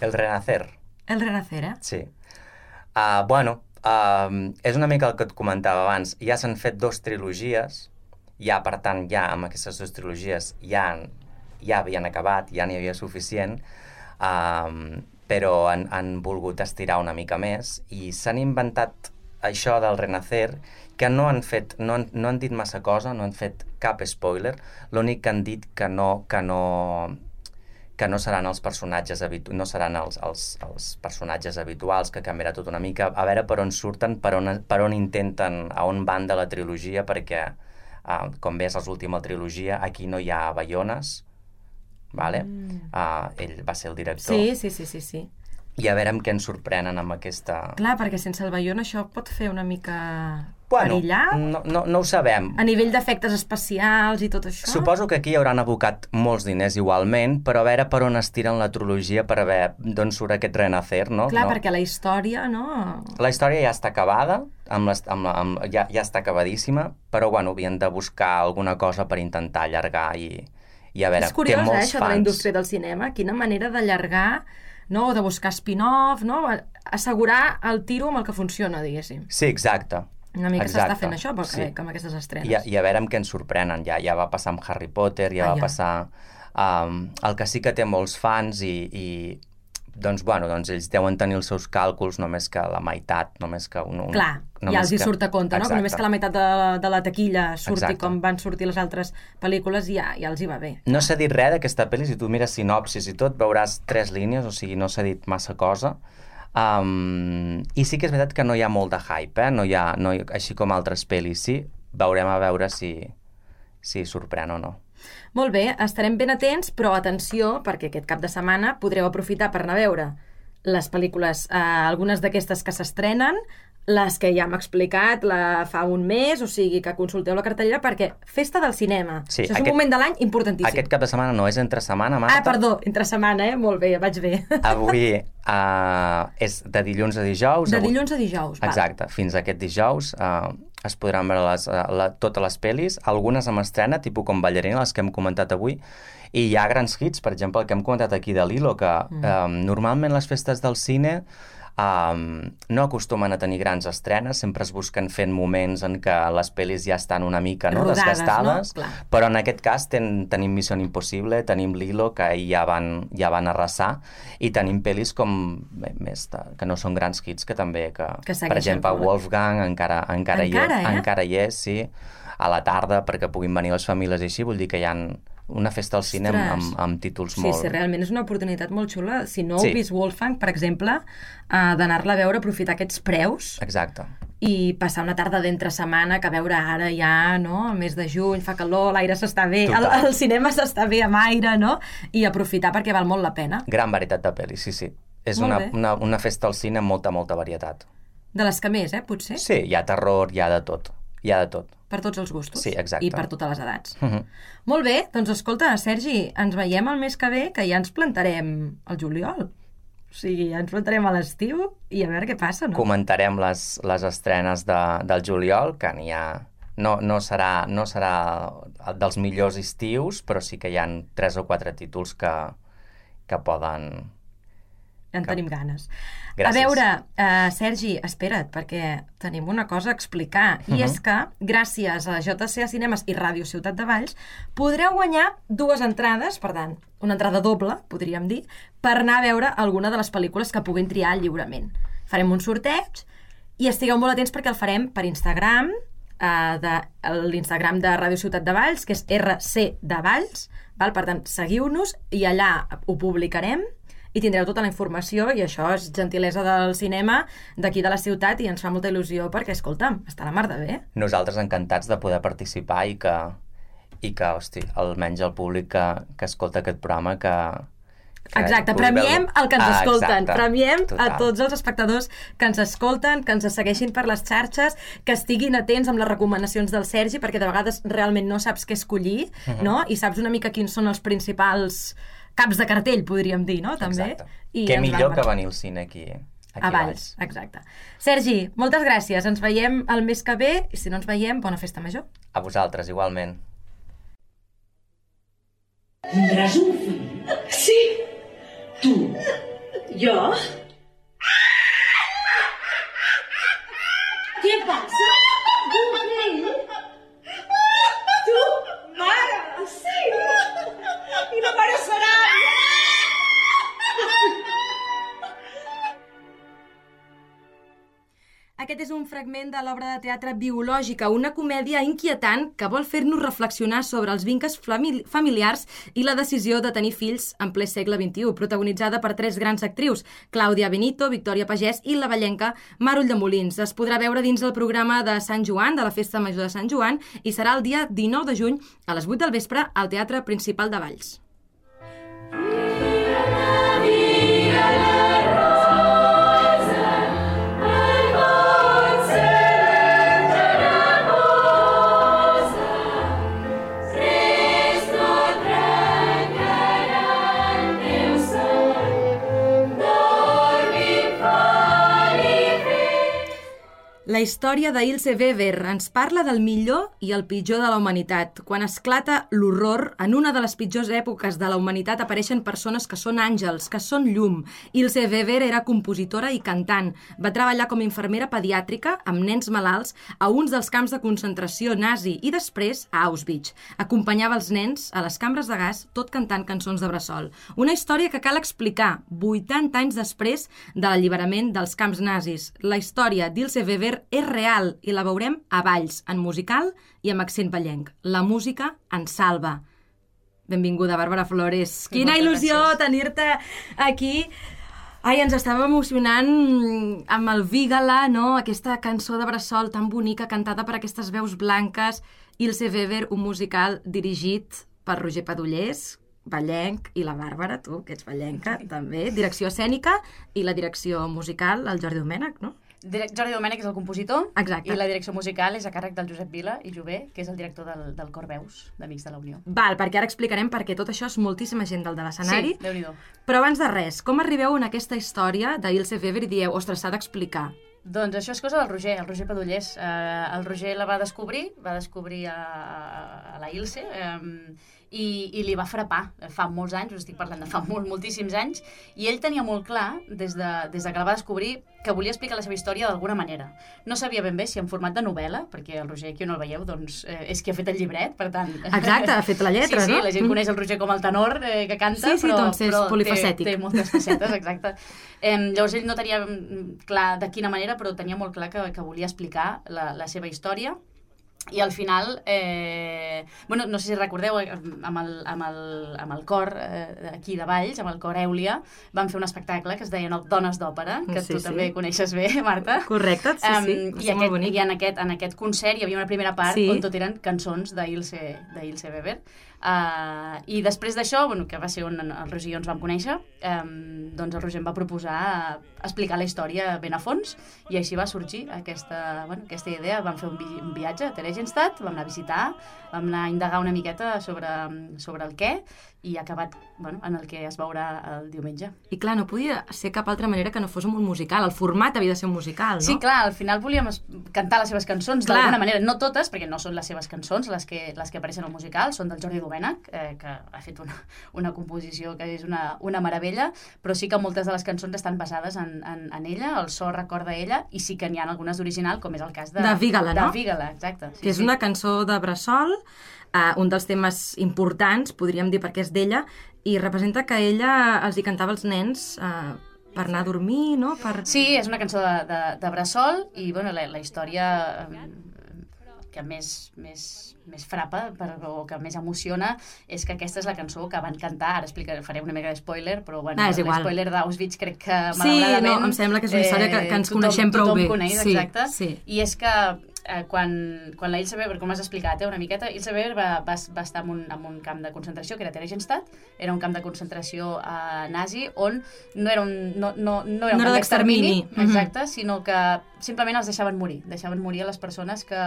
El Renacer. El Renacer, eh? Sí. Uh, bueno, uh, és una mica el que et comentava abans. Ja s'han fet dos trilogies, ja, per tant, ja amb aquestes dues trilogies ja, ja havien acabat, ja n'hi havia suficient, uh, però han, han volgut estirar una mica més i s'han inventat això del Renacer, que no han fet, no han, no han dit massa cosa, no han fet cap spoiler, l'únic que han dit que no, que no, que no seran els personatges habitu no seran els, els, els personatges habituals, que canviarà tot una mica, a veure per on surten, per on, per on intenten, a on van de la trilogia, perquè, uh, com ves, l'última trilogia, aquí no hi ha Bayones, vale? Mm. Uh, ell va ser el director. Sí, sí, sí, sí, sí. I a veure amb què ens sorprenen amb aquesta... Clar, perquè sense el Bayona això pot fer una mica bueno, perillar. No, no, no ho sabem. A nivell d'efectes especials i tot això. Suposo que aquí hi hauran abocat molts diners igualment, però a veure per on estiren la trilogia per a veure d'on surt aquest Renacer, no? Clar, no? perquè la història, no? La història ja està acabada, amb les, amb la, amb, ja, ja està acabadíssima, però bueno, havien de buscar alguna cosa per intentar allargar i, i a veure, és curiós, té molts eh, això fans. de la indústria del cinema, quina manera d'allargar, no?, o de buscar spin-off, no?, assegurar el tiro amb el que funciona, diguéssim. Sí, exacte. Una mica exacte. s'està fent això, però Sí. sí. amb aquestes estrenes. I a, I a veure amb què ens sorprenen. Ja, ja va passar amb Harry Potter, ja ah, va ja. passar... Um, el que sí que té molts fans i, i doncs, bueno, doncs ells deuen tenir els seus càlculs, només que la meitat, només que un... un Clar, ja els hi surt a compte, no? Que només que la meitat de, de la taquilla surti Exacte. com van sortir les altres pel·lícules, ja, ja els hi va bé. No s'ha dit res d'aquesta pel·li, si tu mires sinopsis i tot, veuràs tres línies, o sigui, no s'ha dit massa cosa. Um, I sí que és veritat que no hi ha molt de hype, eh? No hi ha, no hi, així com altres pel·lis, sí. Veurem a veure si, si sorprèn o no. Molt bé, estarem ben atents, però atenció, perquè aquest cap de setmana podreu aprofitar per anar a veure les pel·lícules, eh, algunes d'aquestes que s'estrenen, les que ja hem explicat la fa un mes, o sigui que consulteu la cartellera, perquè festa del cinema. Sí, Això és aquest, un moment de l'any importantíssim. Aquest cap de setmana no és entre setmana, Marta. Ah, perdó, entre setmana, eh? Molt bé, vaig bé. Avui uh, és de dilluns a dijous. De avui... dilluns a dijous, val. Exacte, fins a aquest dijous uh, es podran veure les, uh, la, totes les pel·lis, algunes amb estrena, tipus com Ballarina, les que hem comentat avui, i hi ha grans hits, per exemple, el que hem comentat aquí de Lilo, que mm. um, normalment les festes del cine Um, no acostumen a tenir grans estrenes, sempre es busquen fent moments en què les pel·lis ja estan una mica no, rodades, desgastades, no? Però en aquest cas ten, tenim Missió Impossible, tenim Lilo, que ja van, ja van arrasar, i tenim pel·lis com més de, que no són grans hits, que també, que, que per exemple, Wolfgang encara, encara, encara, hi, eh? encara hi és, sí, a la tarda, perquè puguin venir les famílies i així, vull dir que hi ha una festa al cine amb, amb, amb títols sí, molt... Sí, sí, realment és una oportunitat molt xula. Si no sí. heu vist Wolfgang, per exemple, uh, d'anar-la a veure, aprofitar aquests preus. Exacte. I passar una tarda d'entre setmana, que a veure ara ja, no?, el mes de juny, fa calor, l'aire s'està bé, el, el cinema s'està bé amb aire, no?, i aprofitar perquè val molt la pena. Gran varietat de pel·lis, sí, sí. És molt una, bé. una, una festa al cine amb molta, molta varietat. De les que més, eh, potser? Sí, hi ha terror, hi ha de tot. Hi ha de tot. Per tots els gustos. Sí, exacte. I per totes les edats. Uh -huh. Molt bé, doncs escolta, Sergi, ens veiem el mes que ve, que ja ens plantarem al juliol. O sigui, ja ens plantarem a l'estiu i a veure què passa, no? Comentarem les, les estrenes de, del juliol, que n'hi ha... No, no, serà, no serà dels millors estius, però sí que hi ha tres o quatre títols que, que poden... en Cap. Tenim ganes. Gràcies. A veure, uh, Sergi, espera't, perquè tenim una cosa a explicar, i uh -huh. és que, gràcies a J C A Cinemes i Ràdio Ciutat de Valls, podreu guanyar dues entrades, per tant, una entrada doble, podríem dir, per anar a veure alguna de les pel·lícules que puguin triar lliurement. Farem un sorteig i estigueu molt atents perquè el farem per Instagram, uh, de l'Instagram de Ràdio Ciutat de Valls, que és R C de Valls, val? Per tant, seguiu-nos i allà ho publicarem i tindreu tota la informació, i això és gentilesa del cinema d'aquí de la ciutat i ens fa molta il·lusió perquè, escolta'm, està la mar de bé. Nosaltres encantats de poder participar i que, i que hosti, almenys el públic que, que escolta aquest programa que... que exacte, premiem el que ens ah, escolten, exacte, premiem total. a tots els espectadors que ens escolten, que ens segueixin per les xarxes, que estiguin atents amb les recomanacions del Sergi, perquè de vegades realment no saps què escollir, uh-huh. no? I saps una mica quins són els principals caps de cartell, podríem dir, no? També. Exacte. I què millor que venir al cine aquí, aquí a Valls. Exacte. Sergi, moltes gràcies. Ens veiem el mes que ve i si no ens veiem, bona festa major. A vosaltres, igualment. Tindràs un fill? Sí. Tu. Jo? Què passa? Un fill? Tu? Mare? Sí. I la mare serà... Aquest és un fragment de l'obra de teatre Biològica, una comèdia inquietant que vol fer-nos reflexionar sobre els vincles familiars i la decisió de tenir fills en ple segle vint-i-u, protagonitzada per tres grans actrius, Clàudia Benito, Victòria Pagès i la vallenca Mar Ulldemolins. Es podrà veure dins el programa de Sant Joan, de la Festa Major de Sant Joan, i serà el dia dinou de juny a les vuit del vespre al Teatre Principal de Valls. La història d'Ilse Weber ens parla del millor i el pitjor de la humanitat. Quan esclata l'horror, en una de les pitjors èpoques de la humanitat apareixen persones que són àngels, que són llum. Ilse Weber era compositora i cantant. Va treballar com a infermera pediàtrica amb nens malalts a uns dels camps de concentració nazi i després a Auschwitz. Acompanyava els nens a les cambres de gas tot cantant cançons de bressol. Una història que cal explicar vuitanta anys després de l'alliberament dels camps nazis. La història d'Ilse Weber és real i la veurem a Valls, en musical i amb accent vallenc. La música ens salva. Benvinguda, Bàrbara Flores. Quina il·lusió tenir-te aquí. Ai, ens estava emocionant amb el Vígala, no? Aquesta cançó de bressol tan bonica, cantada per aquestes veus blanques. Ilse Weber, un musical dirigit per Roger Padullés, vallenc, i la Bàrbara, tu, que ets vallenca, també. Direcció escènica i la direcció musical, el Jordi Domènech, no? Jordi Domènech és el compositor. Exacte. I la direcció musical és a càrrec del Josep Vila i Jové, que és el director del, del Cor Veus, d'Amics de la Unió. Val, perquè ara explicarem perquè tot això és moltíssima gent del de l'escenari. Sí, Déu-n'hi-do. Però abans de res, com arribeu en aquesta història d'Ilse Weber i dieu, ostres, s'ha d'explicar? Doncs això és cosa del Roger, el Roger Padullés. Eh, el Roger la va descobrir, va descobrir a, a la Ilse, eh, i, i li va frapar fa molts anys, us estic parlant de fa molt, moltíssims anys, i ell tenia molt clar, des de, des de que la va descobrir, que volia explicar la seva història d'alguna manera. No sabia ben bé si en format de novel·la, perquè el Roger, qui no el veieu, doncs, eh, és qui ha fet el llibret, per tant... Exacte, ha fet la lletra, sí, sí, no? Sí, la gent coneix el Roger com el tenor eh, que canta, sí, sí, però, doncs és però polifacètic. Té, té moltes facetes, exacte. Eh, llavors ell no tenia clar de quina manera, però tenia molt clar que, que volia explicar la, la seva història. I al final, eh, bueno, no sé si recordeu, amb el, amb el, amb el cor eh, aquí de Valls, amb el cor Èulia, van fer un espectacle que es deia Dones d'Òpera, que sí, tu sí. també coneixes bé, Marta. Correcte, sí, sí. Um, I, aquest, i en, aquest, en aquest concert hi havia una primera part sí. on tot eren cançons d'Ilse Weber. Uh, I després d'això, bueno, que va ser on el Roger i jo ens vam conèixer, um, doncs el Roger em va proposar explicar la història ben a fons i així va sorgir aquesta, bueno, aquesta idea. Vam fer un, vi un viatge, Teresa Theresienstadt, vam anar a visitar, vam anar a indagar una miqueta sobre, sobre el què, i ha acabat bueno, en el que es veurà el diumenge. I clar, no podia ser cap altra manera que no fos un musical. El format havia de ser un musical, no? Sí, clar, al final volíem cantar les seves cançons d'alguna manera. No totes, perquè no són les seves cançons les que, les que apareixen al musical, són del Jordi Domènech, eh, que ha fet una, una composició que és una, una meravella, però sí que moltes de les cançons estan basades en, en, en ella, el so recorda ella, i sí que n'hi ha algunes d'original, com és el cas de... De Vígala, no? De Vígala, exacte. Sí, que és sí. una cançó de Bressol, uh, un dels temes importants, podríem dir, perquè és d'ella, i representa que ella els hi cantava als nens uh, per anar a dormir, no? Per... Sí, és una cançó de, de, de Bressol, i bueno, la, la història eh, que més, més, més frapa per, o que més emociona és que aquesta és la cançó que van cantar, ara explicaré, faré una mica de spoiler, però bueno, ah, l'espoiler d'Auschwitz crec que sí, malauradament... Sí, no, em sembla que és una història que, que ens tothom, coneixem prou tothom bé. Coneix, sí, exacte, sí. I és que eh, quan, quan la Ilse Weber, com has explicat eh, una miqueta, Ilse Weber va, va, va estar en un, en un camp de concentració que era Theresienstadt, era un camp de concentració eh, nazi on no era un, no, no, no era un no camp d'extermini, exacte, mm-hmm. sinó que simplement els deixaven morir, deixaven morir a les persones que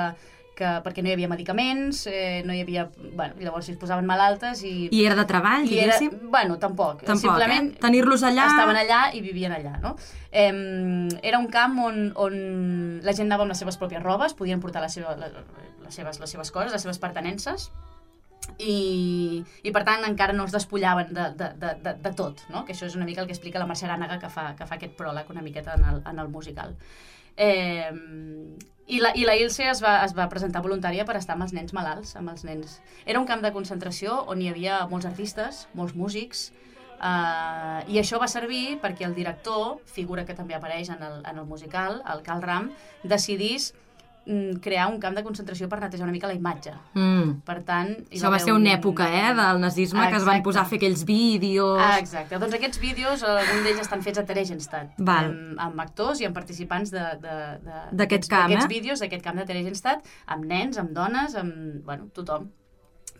que, perquè no hi havia medicaments, eh, no hi havia... Bueno, llavors si es posaven malaltes i... I era de treball, diguéssim? Era, bueno, tampoc. Tampoc, Simplement eh? Tenir-los allà... Estaven allà i vivien allà, no? Eh, era un camp on, on la gent anava amb les seves pròpies robes, podien portar la seva, la, les, seves, les seves coses, les seves pertenences, i, i per tant encara no es despullaven de, de, de, de, de tot, no? Que això és una mica el que explica la Mercè Arànega, que fa, que fa aquest pròleg una miqueta en el, en el musical. Eh, i, la, i la Ilse es va, es va presentar voluntària per estar amb els nens malalts, amb els nens. Era un camp de concentració on hi havia molts artistes, molts músics, eh, i això va servir perquè el director, figura que també apareix en el, en el musical, el Karl Ram, decidís crear un camp de concentració per netejar una mica la imatge. Mm. Per tant... Això va ser una època, eh, del nazisme, exacte, que es van posar a fer aquells vídeos... Ah, exacte. Doncs aquests vídeos, alguns d'ells estan fets a Theresienstadt, amb, amb actors i amb participants d'aquest camp, eh? vídeos, d'aquest camp de Theresienstadt, amb nens, amb dones, amb, bueno, tothom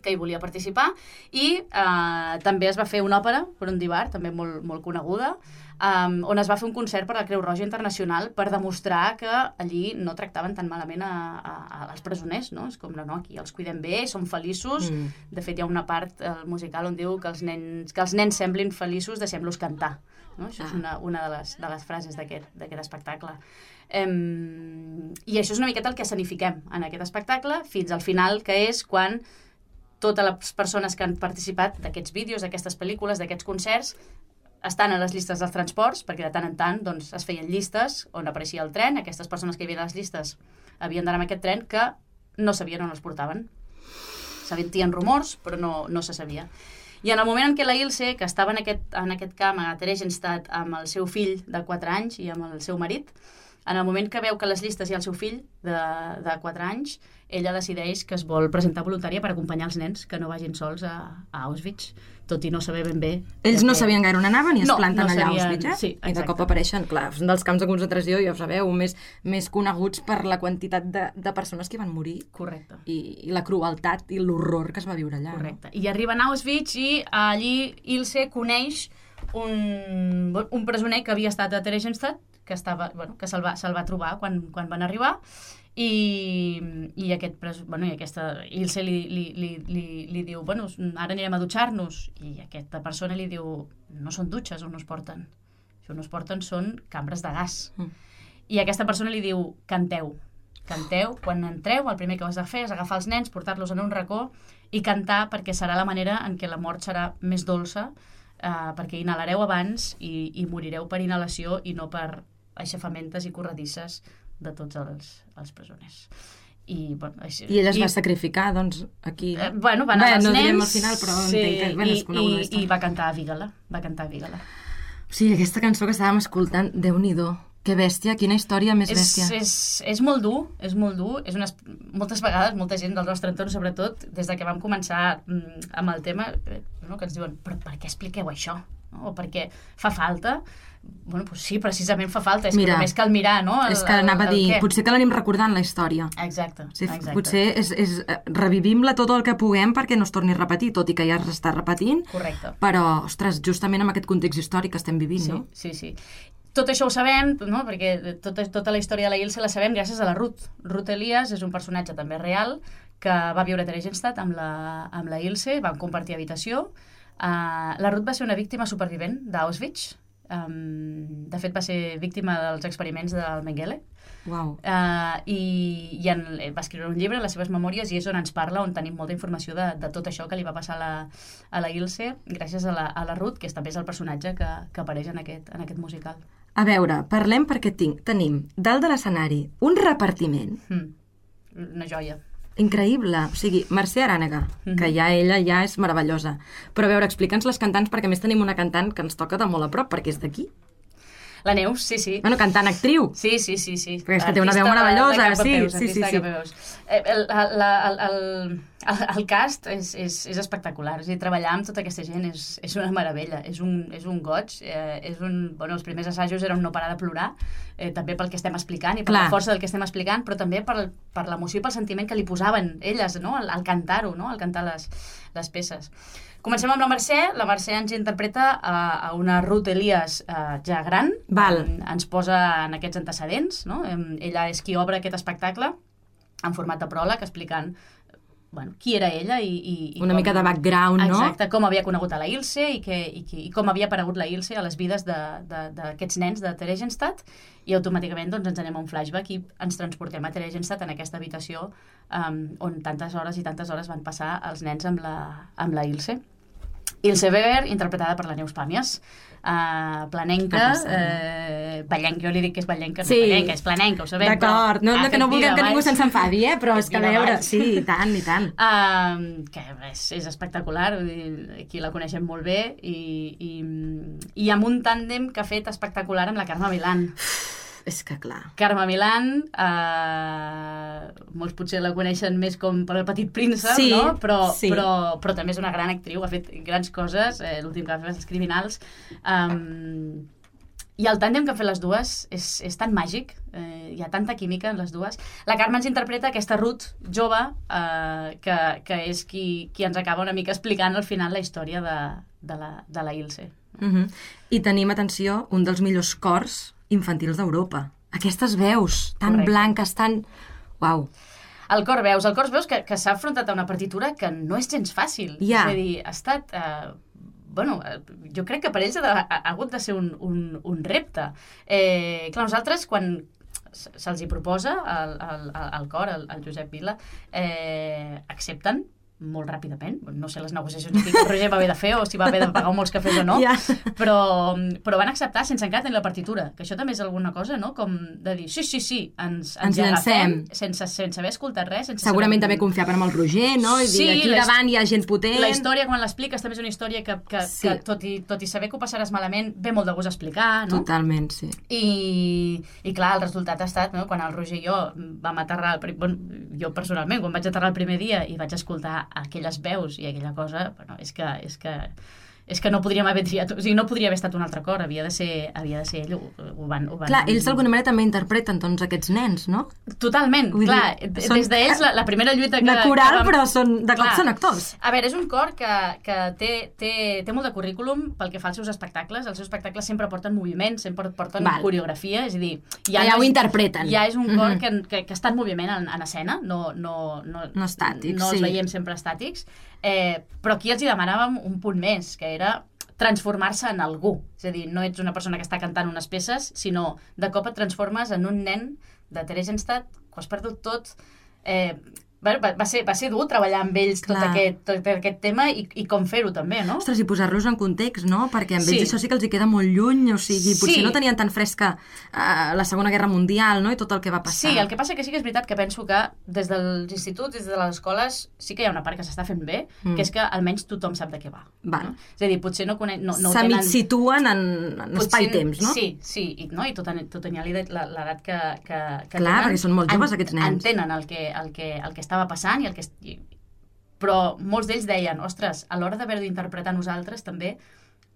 que hi volia participar. I eh, també es va fer una òpera, Brundibar, també molt, molt coneguda, Um, on es va fer un concert per la Creu Roja Internacional per demostrar que allí no tractaven tan malament a, a, als presoners, no? És com, no, no, aquí els cuidem bé, són feliços. Mm. De fet, hi ha una part al musical on diu que els nens, que els nens semblin feliços, deixem-los cantar. No? Això ah. és una, una de, les, de les frases d'aquest espectacle. Um, I això és una miqueta el que escenifiquem en aquest espectacle, fins al final, que és quan totes les persones que han participat d'aquests vídeos, d'aquestes pel·lícules, d'aquests concerts, estan a les llistes dels transports, perquè de tant en tant doncs, es feien llistes on apareixia el tren. Aquestes persones que hi havia a les llistes havien d'anar amb aquest tren que no sabien on els portaven. S'aventien rumors, però no, no se sabia. I en el moment en què la Ilse, que estava en aquest, en aquest camp a Theresienstadt amb el seu fill de quatre anys i amb el seu marit, en el moment que veu que a les llistes hi ha el seu fill de, de quatre anys, ella decideix que es vol presentar voluntària per acompanyar els nens que no vagin sols a, a Auschwitz, tot i no saber ben bé... Ells no sabien gaire on anaven i es no, planten no allà sabien... a Auschwitz, eh? Sí, i de cop apareixen, clar, són dels camps de concentració, ja ho sabeu, més, més coneguts per la quantitat de, de persones que van morir. Correcte. I, i la crueltat i l'horror que es va viure allà. Correcte. No? I arriben a Auschwitz i allí Ilse coneix un, un presoner que havia estat a Theresienstadt, que, estava, bueno, que se'l va, se va trobar quan, quan van arribar, i, i, aquest, bueno, i aquesta Ilse li, li, li, li, li diu, bueno, ara anirem a dutxar-nos, i aquesta persona li diu, no són dutxes on es porten, on es porten són cambres de gas. Mm. I aquesta persona li diu, canteu, canteu, quan entreu, el primer que has de fer és agafar els nens, portar-los en un racó i cantar, perquè serà la manera en què la mort serà més dolça, eh, perquè inhalareu abans i, i morireu per inhalació i no per aixafamentes i corredisses de tots els, els presoners. I, bueno, així, I ella es i, va sacrificar, doncs, aquí... Eh, bueno, van anar Bé, els no nens... direm al final, però sí, entenc que... Bueno, i, i, i va cantar a Vígala, va cantar a Vígala. O sigui, aquesta cançó que estàvem escoltant, Déu-n'hi-do, que bèstia, quina història més bèstia. És, és, és molt dur, és molt dur. És unes, moltes vegades, molta gent del nostre entorn, sobretot, des de que vam començar mm, amb el tema, no, que ens diuen, però per què expliqueu això? No? O perquè fa falta? Bueno, doncs sí, precisament fa falta, és Mira, que només cal mirar, no? El, és que anava a dir, què? Potser que l'anem recordant la història. Exacte, sí, exacte. Potser és, és, revivim-la tot el que puguem perquè no es torni a repetir, tot i que ja s'està repetint. Correcte. Però, ostres, justament amb aquest context històric que estem vivint, sí, no? Sí, sí. tot això ho sabem, no? Perquè tota, tota la història de la Ilse la sabem gràcies a la Ruth. Ruth Elias és un personatge també real que va viure a Theresienstadt amb la, amb la Ilse, van compartir habitació. Uh, la Ruth va ser una víctima supervivent d'Auschwitz. Um, de fet, va ser víctima dels experiments del Mengele. Wow. Uh, i, i en, va escriure un llibre, les seves memòries, i és on ens parla, on tenim molta informació de, de tot això que li va passar a la, a la Ilse, gràcies a la, a la Ruth, que és, també és el personatge que, que apareix en aquest, en aquest musical. A veure, parlem perquè tinc, tenim dalt de l'escenari un repartiment. Mm. Una joia. Increïble. O sigui, Mercè Arànega, mm-hmm. que ja ella ja és meravellosa. Però a veure, explica'ns les cantants, perquè a més tenim una cantant que ens toca de molt a prop, perquè és d'aquí. La Neus, sí, sí. Bueno, cantant actriu. Sí, sí, sí, sí. Perquè és que té una veu meravellosa, sí, peus, sí, sí, sí. El, el, el, el, el, el cast és, és, és espectacular. És a dir, treballar amb tota aquesta gent és, és una meravella, és un, és un goig. Eh, és un, bueno, els primers assajos eren no parar de plorar, eh, també pel que estem explicant i per Clar. la força del que estem explicant, però també per, per l'emoció i pel sentiment que li posaven elles, no? al, al cantar-ho, no? al cantar les, les peces. Comencem amb la Mercè. La Mercè ens interpreta a, a una Ruth Elias uh, ja gran. Val. Ens posa en aquests antecedents. No? Ella és qui obre aquest espectacle en format de pròleg, explicant bueno, qui era ella i... i, i una com, mica de background, no? Exacte, com havia conegut a la Ilse i, que, i, que, i com havia aparegut la Ilse a les vides d'aquests nens de Theresienstadt, i automàticament doncs, ens anem a un flashback i ens transportem a Theresienstadt, en aquesta habitació um, on tantes hores i tantes hores van passar els nens amb la, amb la Ilse. Ilse Weber, interpretada per la Neus Pàmies. Uh, planenca, eh, ballenca, jo li dic que és ballenca, sí. no és ballenca, és planenca, ho sabem. D'acord, no, no, que no vulguem que ningú se'n s'enfadi, eh? Però és que a veure, sí, i tant, i tant. Uh, que és, és espectacular, vull dir, aquí la coneixem molt bé, i, i, i amb un tàndem que ha fet espectacular amb la Carme Milán. És que clar. Carme Milán, eh, molts potser la coneixen més com per El Petit Príncep, sí, no? Però, sí. però, però també és una gran actriu, ha fet grans coses, eh, l'últim que va fer els Criminals. Um, I el tàndem que han fet les dues és, és tan màgic, eh, hi ha tanta química en les dues. La Carme ens interpreta aquesta Ruth jove, eh, que, que és qui, qui ens acaba una mica explicant al final la història de, de, la, de la Ilse. Uh-huh. I tenim, atenció, un dels millors cors infantils d'Europa. Aquestes veus tan Correcte. blanques, tan... Uau. El cor veus, el cor veus que, que s'ha afrontat a una partitura que no és gens fàcil. Ja. És a dir, ha estat... Eh, bueno, jo crec que per ells ha, de, ha hagut de ser un, un, un repte. Eh, clar, nosaltres, quan se'ls hi proposa el, el, el cor, el, el Josep Vila, eh, accepten molt ràpidament. No sé les negociacions que el Roger va haver de fer o si va haver de pagar molts cafès o no, ja. però, però van acceptar sense encara tenir la partitura, que això també és alguna cosa, no? Com de dir, sí, sí, sí, ens, ens, ens agafem sense, sense haver escoltat res. Sense Segurament saber... també confiaven amb el Roger, no? I sí, dir, aquí la, davant hi ha gent potent. La història, quan l'expliques, també és una història que, que, sí. que tot, i, tot i saber que ho passaràs malament, ve molt de gust explicar, no? Totalment, sí. I, i clar, el resultat ha estat, no? Quan el Roger i jo vam aterrar, el, bueno, jo personalment, quan vaig aterrar el primer dia i vaig escoltar aquelles veus i aquella cosa, bueno, és que, és que, és que no podríem haver triat, o sigui, no podria haver estat un altre cor, havia de ser, havia de ser ell, ho, ho van... Ho van... Clar, ells d'alguna manera també interpreten doncs aquests nens, no? Totalment, Vull clar, dir, són... des d'ells la, la primera lluita que... De coral, que vam... però són, de cop són actors. A veure, és un cor que, que té, té, té molt de currículum pel que fa als seus espectacles, els seus espectacles sempre porten moviment, sempre porten Val. coreografia, és a dir... Ja, ja ho interpreten. Ja és un cor mm-hmm. que, que, que està en moviment en, en escena, no, no, no, no estàtics, no els sí. veiem sempre estàtics, eh, però aquí els hi demanàvem un punt més, que era transformar-se en algú. És a dir, no ets una persona que està cantant unes peces, sinó de cop et transformes en un nen de Theresienstadt, que ho has perdut tot. Eh, va, va, ser, va ser dur treballar amb ells tot aquest, tot aquest tema i, i com fer-ho també, no? Ostres, i posar-los en context, no? Perquè amb sí. ells això sí que els hi queda molt lluny, o sigui, potser sí. no tenien tan fresca uh, la Segona Guerra Mundial, no? I tot el que va passar. Sí, el que passa que sí que és veritat que penso que des dels instituts, des de les escoles, sí que hi ha una part que s'està fent bé, mm. que és que almenys tothom sap de què va. Val. No? És a dir, potser no coneix... No, no Se tenen... situen en, en espai-temps, no? Sí, sí, i, no? I tot, tot tenia l'edat que, que, que Clar, tenen. perquè són molt joves, aquests nens. Entenen el que, el que, el que estava passant i el que però molts d'ells deien, ostres, a l'hora d'haver d'interpretar nosaltres també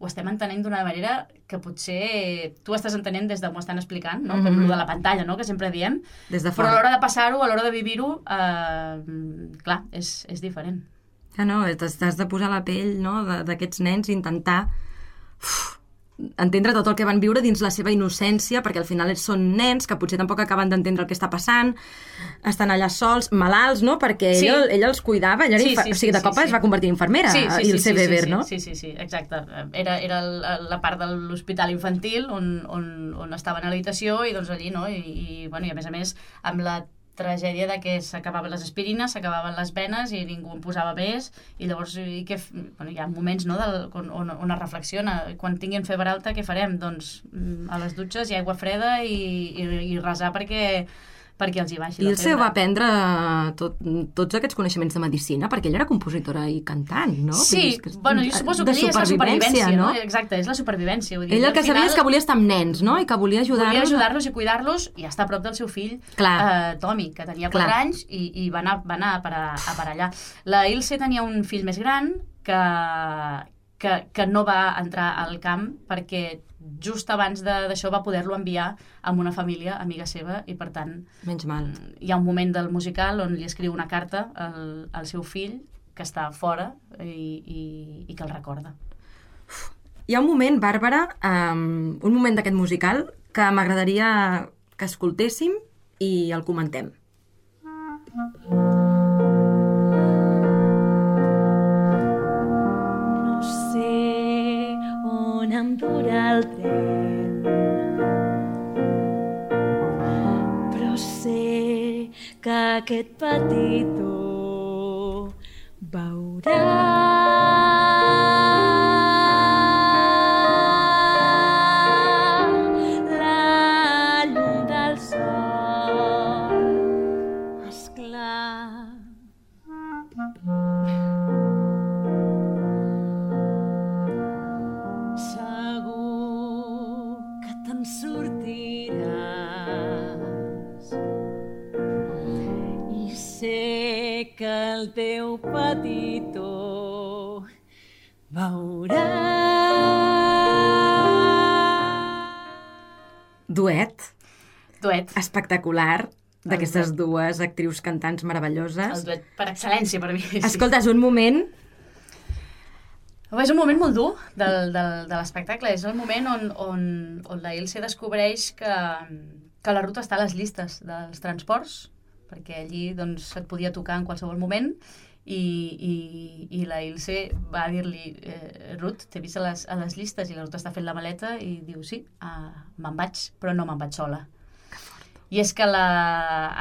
ho estem entenent d'una manera que potser tu estàs entenent des de m'ho estan explicant, no? Com mm-hmm. de la pantalla, no? Que sempre diem, des de però a l'hora de passar-ho, a l'hora de vivir-ho, eh, clar, és, és diferent. Ja no, t'has de posar la pell, no? d'aquests nens i intentar uf, entendre tot el que van viure dins la seva innocència, perquè al final són nens que potser tampoc acaben d'entendre el que està passant, estan allà sols, malalts, no? Perquè sí. ella, ella els cuidava, ella era sí, sí, o sigui, de cop sí, sí. es va convertir en infermera, sí, sí, i el sí, C. Weber, sí, sí, no? Sí, sí, sí, exacte. Era, era la part de l'hospital infantil on, on, on estaven a l'habitació i doncs allí, no? I, i, bueno, i a més a més, amb la tragèdia de que s'acabaven les aspirines, s'acabaven les venes i ningú en posava més, i llavors i que, bueno, hi ha moments, no, del, on, on es reflexiona, quan tinguin febre alta què farem? Doncs a les dutxes i aigua freda i, i, i resar perquè perquè els hi baixi la febre. I Ilse va aprendre tot, tots aquests coneixements de medicina, perquè ella era compositora i cantant, no? Sí, que, bueno, jo suposo que ella és la supervivència, no? no? Exacte, és la supervivència. Vull dir, ella el que final, sabia és que volia estar amb nens, no? I que volia ajudar-los. Volia ajudar-los i cuidar-los i estar a prop del seu fill, eh, Tommy, que tenia quatre anys i, i va anar, va anar a, parar, a parar allà. La Ilse tenia un fill més gran que, que, que no va entrar al camp perquè just abans d'això va poder-lo enviar amb una família amiga seva i per tant menys mal. Hi ha un moment del musical on li escriu una carta al, al seu fill que està fora i, i, i que el recorda. Hi ha un moment, Bàrbara, um, un moment d'aquest musical que m'agradaria que escoltéssim i el comentem. Em dura el tren, però sé que aquest petitó veurà la llum del sol, esclar. Que el teu petitó veurà. Duet. Duet. Espectacular d'aquestes dues actrius cantants meravelloses. El duet per excel·lència per mi. Sí. Escolta, és un moment... És un moment molt dur del, del, de l'espectacle. És el moment on, on, on la Ilse descobreix que, que la Ruth està a les llistes dels transports, perquè allí doncs, et podia tocar en qualsevol moment i, i, i la Ilse va dir-li eh, Ruth, t'he vist a les, a les llistes i la Ruth està fent la maleta i diu sí, uh, me'n vaig, però no me'n vaig sola. I és que la,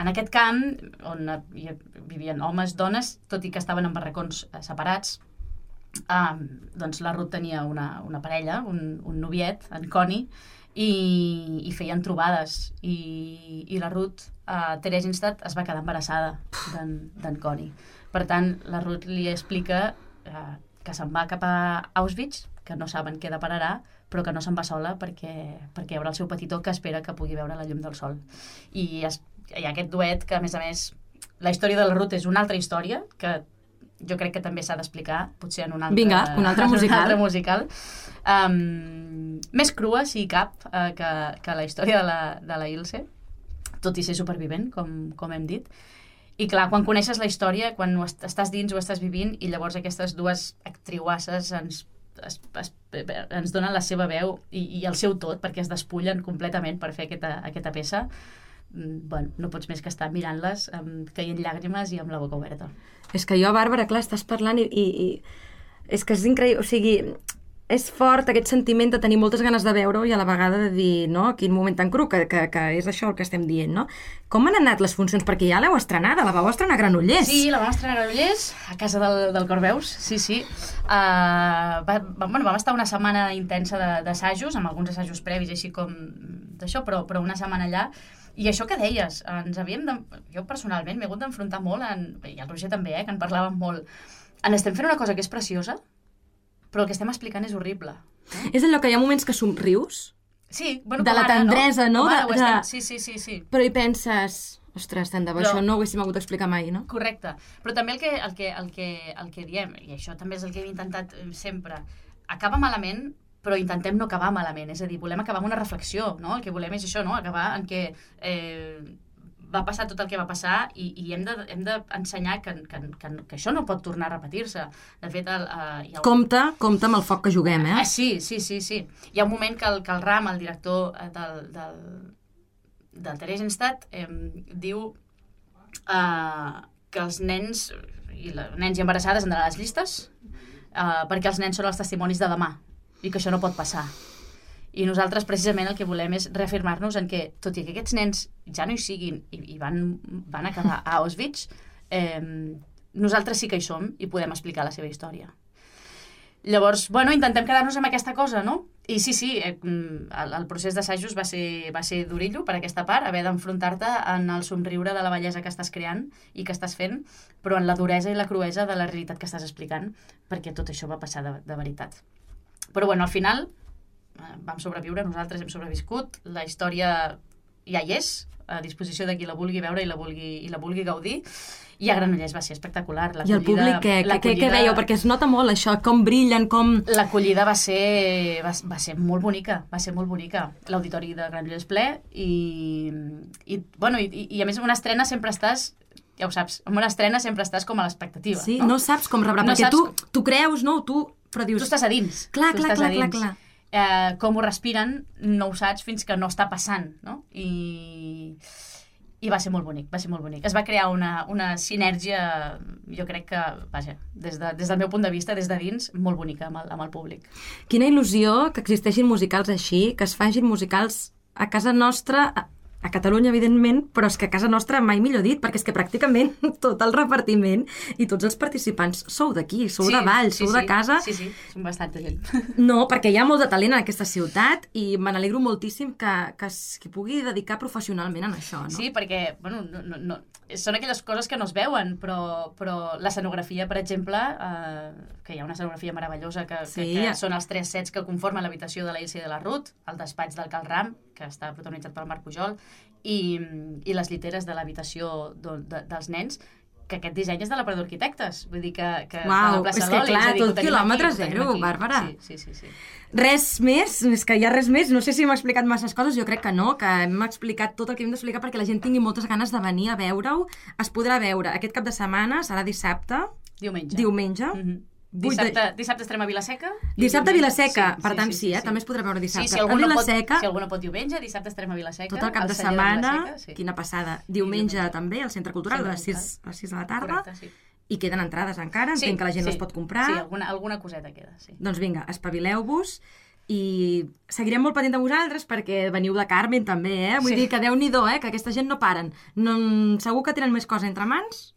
en aquest camp on hi vivien homes, dones, tot i que estaven en barracons separats, uh, doncs la Ruth tenia una, una parella, un, un noviet, en Connie, i, i feien trobades i, i la Ruth a Theresienstadt es va quedar embarassada d'en Connie. Per tant, la Ruth li explica eh, que se'n va cap a Auschwitz, que no saben què depararà, però que no se'n va sola perquè, perquè hi haurà el seu petitó que espera que pugui veure la llum del sol. I es, hi ha aquest duet que, a més a més, la història de la Ruth és una altra història que jo crec que també s'ha d'explicar, potser en un altre, Vinga, un altre musical. Un altre musical. Um, més crua, si cap, uh, que, que la història de la, de la Ilse, tot i ser supervivent, com, com hem dit. I clar, quan coneixes la història, quan ho est estàs dins, ho estàs vivint, i llavors aquestes dues actriuasses ens, es, es, ens donen la seva veu i, i el seu tot, perquè es despullen completament per fer aquesta, aquesta peça, bueno, no pots més que estar mirant-les um, caient llàgrimes i amb la boca oberta. És que jo, Bàrbara, clar, estàs parlant i, i, i és que és increïble, o sigui, és fort aquest sentiment de tenir moltes ganes de veure-ho i a la vegada de dir, no, quin moment tan cru, que, que, que és això el que estem dient, no? Com han anat les funcions? Perquè ja l'heu estrenada, la vau estrenar a Granollers. Sí, la vam estrenar a Granollers, a casa del, del Corveus, sí, sí. Uh, va, va, bueno, vam estar una setmana intensa d'assajos, amb alguns assajos previs, així com d'això, però, però una setmana allà. I això que deies, ens havíem de... Jo personalment m'he hagut d'enfrontar molt, en... i el Roger també, eh, que en parlàvem molt. En estem fent una cosa que és preciosa, però el que estem explicant és horrible. Eh? És allò que hi ha moments que somrius? Sí, bueno, de la ara, tendresa, no? no? De, de... de... Sí, sí, sí, sí. Però hi penses... Ostres, tant de bo, però... això no ho haguéssim hagut d'explicar mai, no? Correcte. Però també el que, el, que, el, que, el que diem, i això també és el que hem intentat sempre, acaba malament, però intentem no acabar malament, és a dir, volem acabar amb una reflexió, no? El que volem és això, no? Acabar en què eh, va passar tot el que va passar i, i hem d'ensenyar de, que, que, que, que això no pot tornar a repetir-se. De fet, el, uh, hi ha un... Compte, compte amb el foc que juguem, eh? Ah, sí, sí, sí, sí. Hi ha un moment que el, que el Ram, el director del, del, del Theresienstadt, eh, diu uh, que els nens i les nens i embarassades han d'anar a les llistes uh, perquè els nens són els testimonis de demà i que això no pot passar. I nosaltres, precisament, el que volem és reafirmar-nos en que, tot i que aquests nens ja no hi siguin i, i van, van acabar a Auschwitz, eh, nosaltres sí que hi som i podem explicar la seva història. Llavors, bueno, intentem quedar-nos amb aquesta cosa, no? I sí, sí, eh, el, el procés d'assajos va ser, va ser durillo per aquesta part, haver d'enfrontar-te en el somriure de la bellesa que estàs creant i que estàs fent, però en la duresa i la cruesa de la realitat que estàs explicant, perquè tot això va passar de, de veritat. Però, bueno, al final vam sobreviure, nosaltres hem sobreviscut, la història ja hi és, a disposició de qui la vulgui veure i la vulgui, i la vulgui gaudir, i a Granollers va ser espectacular. I el públic, què, què, què veieu? Perquè es nota molt això, com brillen, com... L'acollida va ser, va, va ser molt bonica, va ser molt bonica. L'auditori de Granollers ple, i, i, bueno, i, i a més una estrena sempre estàs... Ja ho saps, en una estrena sempre estàs com a l'expectativa. Sí, no, no saps com rebrà, no perquè saps... tu, tu creus, no? Tu, però dius... Tu estàs a dins. Clar, clar, clar, clar, clar. Eh, com ho respiren, no ho saps fins que no està passant, no? I, i va ser molt bonic, va ser molt bonic. Es va crear una, una sinergia, jo crec que, vaja, des, de, des del meu punt de vista, des de dins, molt bonica amb el, amb el públic. Quina il·lusió que existeixin musicals així, que es facin musicals a casa nostra... A... a Catalunya, evidentment, però és que a casa nostra mai millor dit, perquè és que pràcticament tot el repartiment i tots els participants sou d'aquí, sou sí, de Valls, sí, sou sí, de casa... Sí, sí, som bastanta gent. No, perquè hi ha molt de talent en aquesta ciutat i me n'alegro moltíssim que, que es que pugui dedicar professionalment a això, no? Sí, perquè, bueno, no, no, no, són aquelles coses que no es veuen, però, però l'escenografia, per exemple, eh, que hi ha una escenografia meravellosa, que, sí. que, que són els tres sets que conformen l'habitació de la Ilse i de la Ruth, el despatx del Cal Ram, que està protagonitzat pel Marc Pujol, i, i les lliteres de l'habitació de, de, dels nens, que aquest disseny és de la Prador Arquitectes. Vull dir que... que Uau, és que Loli, clar, és dir, tot quilòmetre zero, Bàrbara. Sí, sí, sí, sí. Res més, és que hi ha res més, no sé si m'ha explicat masses coses, jo crec que no, que hem explicat tot el que hem d'explicar perquè la gent tingui moltes ganes de venir a veure-ho. Es podrà veure aquest cap de setmana, serà dissabte. Diumenge. Diumenge. Mm-hmm. Dissabte, dissabte estarem a Vilaseca. Dissabte a Vilaseca, sí, per tant sí, sí, sí, eh? sí. També es podrà veure dissabte. Sí, si algú, a no pot, Vilaseca, si algú no pot diumenge, dissabte estarem a Vilaseca. tot el cap de setmana, de sí. Quina passada. Diumenge, diumenge també, al Centre Cultural, sí, a les sis, a les sis de la tarda. Correcte, sí. I queden entrades encara, sí, entenc que la gent sí. les pot comprar. Sí, alguna, alguna coseta queda, sí. Doncs vinga, espavileu-vos i seguirem molt pendent de vosaltres perquè veniu de Carmen també, eh? Vull sí. dir que Déu-n'hi-do, eh? Que aquesta gent no paren. No, segur que tenen més coses entre mans?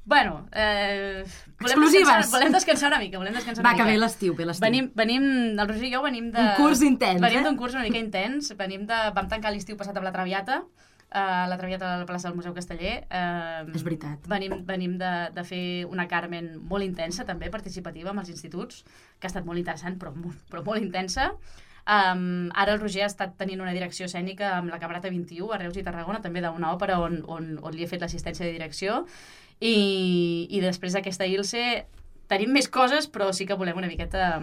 Bueno, eh, volem, exclusives. Descansar, volem descansar una mica, volem descansar una Va, mica. Va, que ve l'estiu, ve l'estiu. Venim, venim, el Roger i jo venim de... Un curs intens, venim eh? d'un curs una mica intens, venim de... Vam tancar l'estiu passat a la Traviata, a la Traviata de la plaça del Museu Casteller. Eh, és veritat. Venim, venim de, de fer una Carmen molt intensa, també, participativa amb els instituts, que ha estat molt interessant, però, però molt intensa. Um, ara el Roger ha estat tenint una direcció escènica amb la Camerata vint-i-u a Reus i Tarragona, també d'una òpera on, on, on li he fet l'assistència de direcció. I, i després d'aquesta Ilse tenim més coses, però sí que volem una miqueta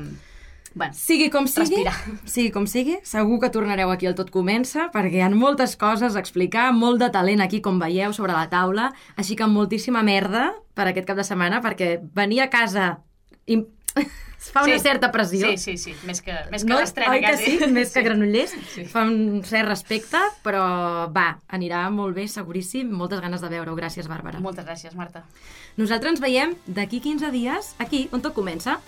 bueno, sigui com sigui, respirar. Sigui com sigui, segur que tornareu aquí al Tot Comença perquè hi ha moltes coses a explicar, molt de talent aquí, com veieu, sobre la taula, així que moltíssima merda per aquest cap de setmana, perquè venir a casa i... es fa una sí. certa pressió. Sí, sí, sí, més que, més que no? l'estrena, Oi que quasi. sí? Més que Granollers. Sí. Fa un cert respecte, però va, anirà molt bé, seguríssim. Moltes ganes de veure-ho. Gràcies, Bàrbara. Moltes gràcies, Marta. Nosaltres ens veiem d'aquí quinze dies, aquí, on tot comença.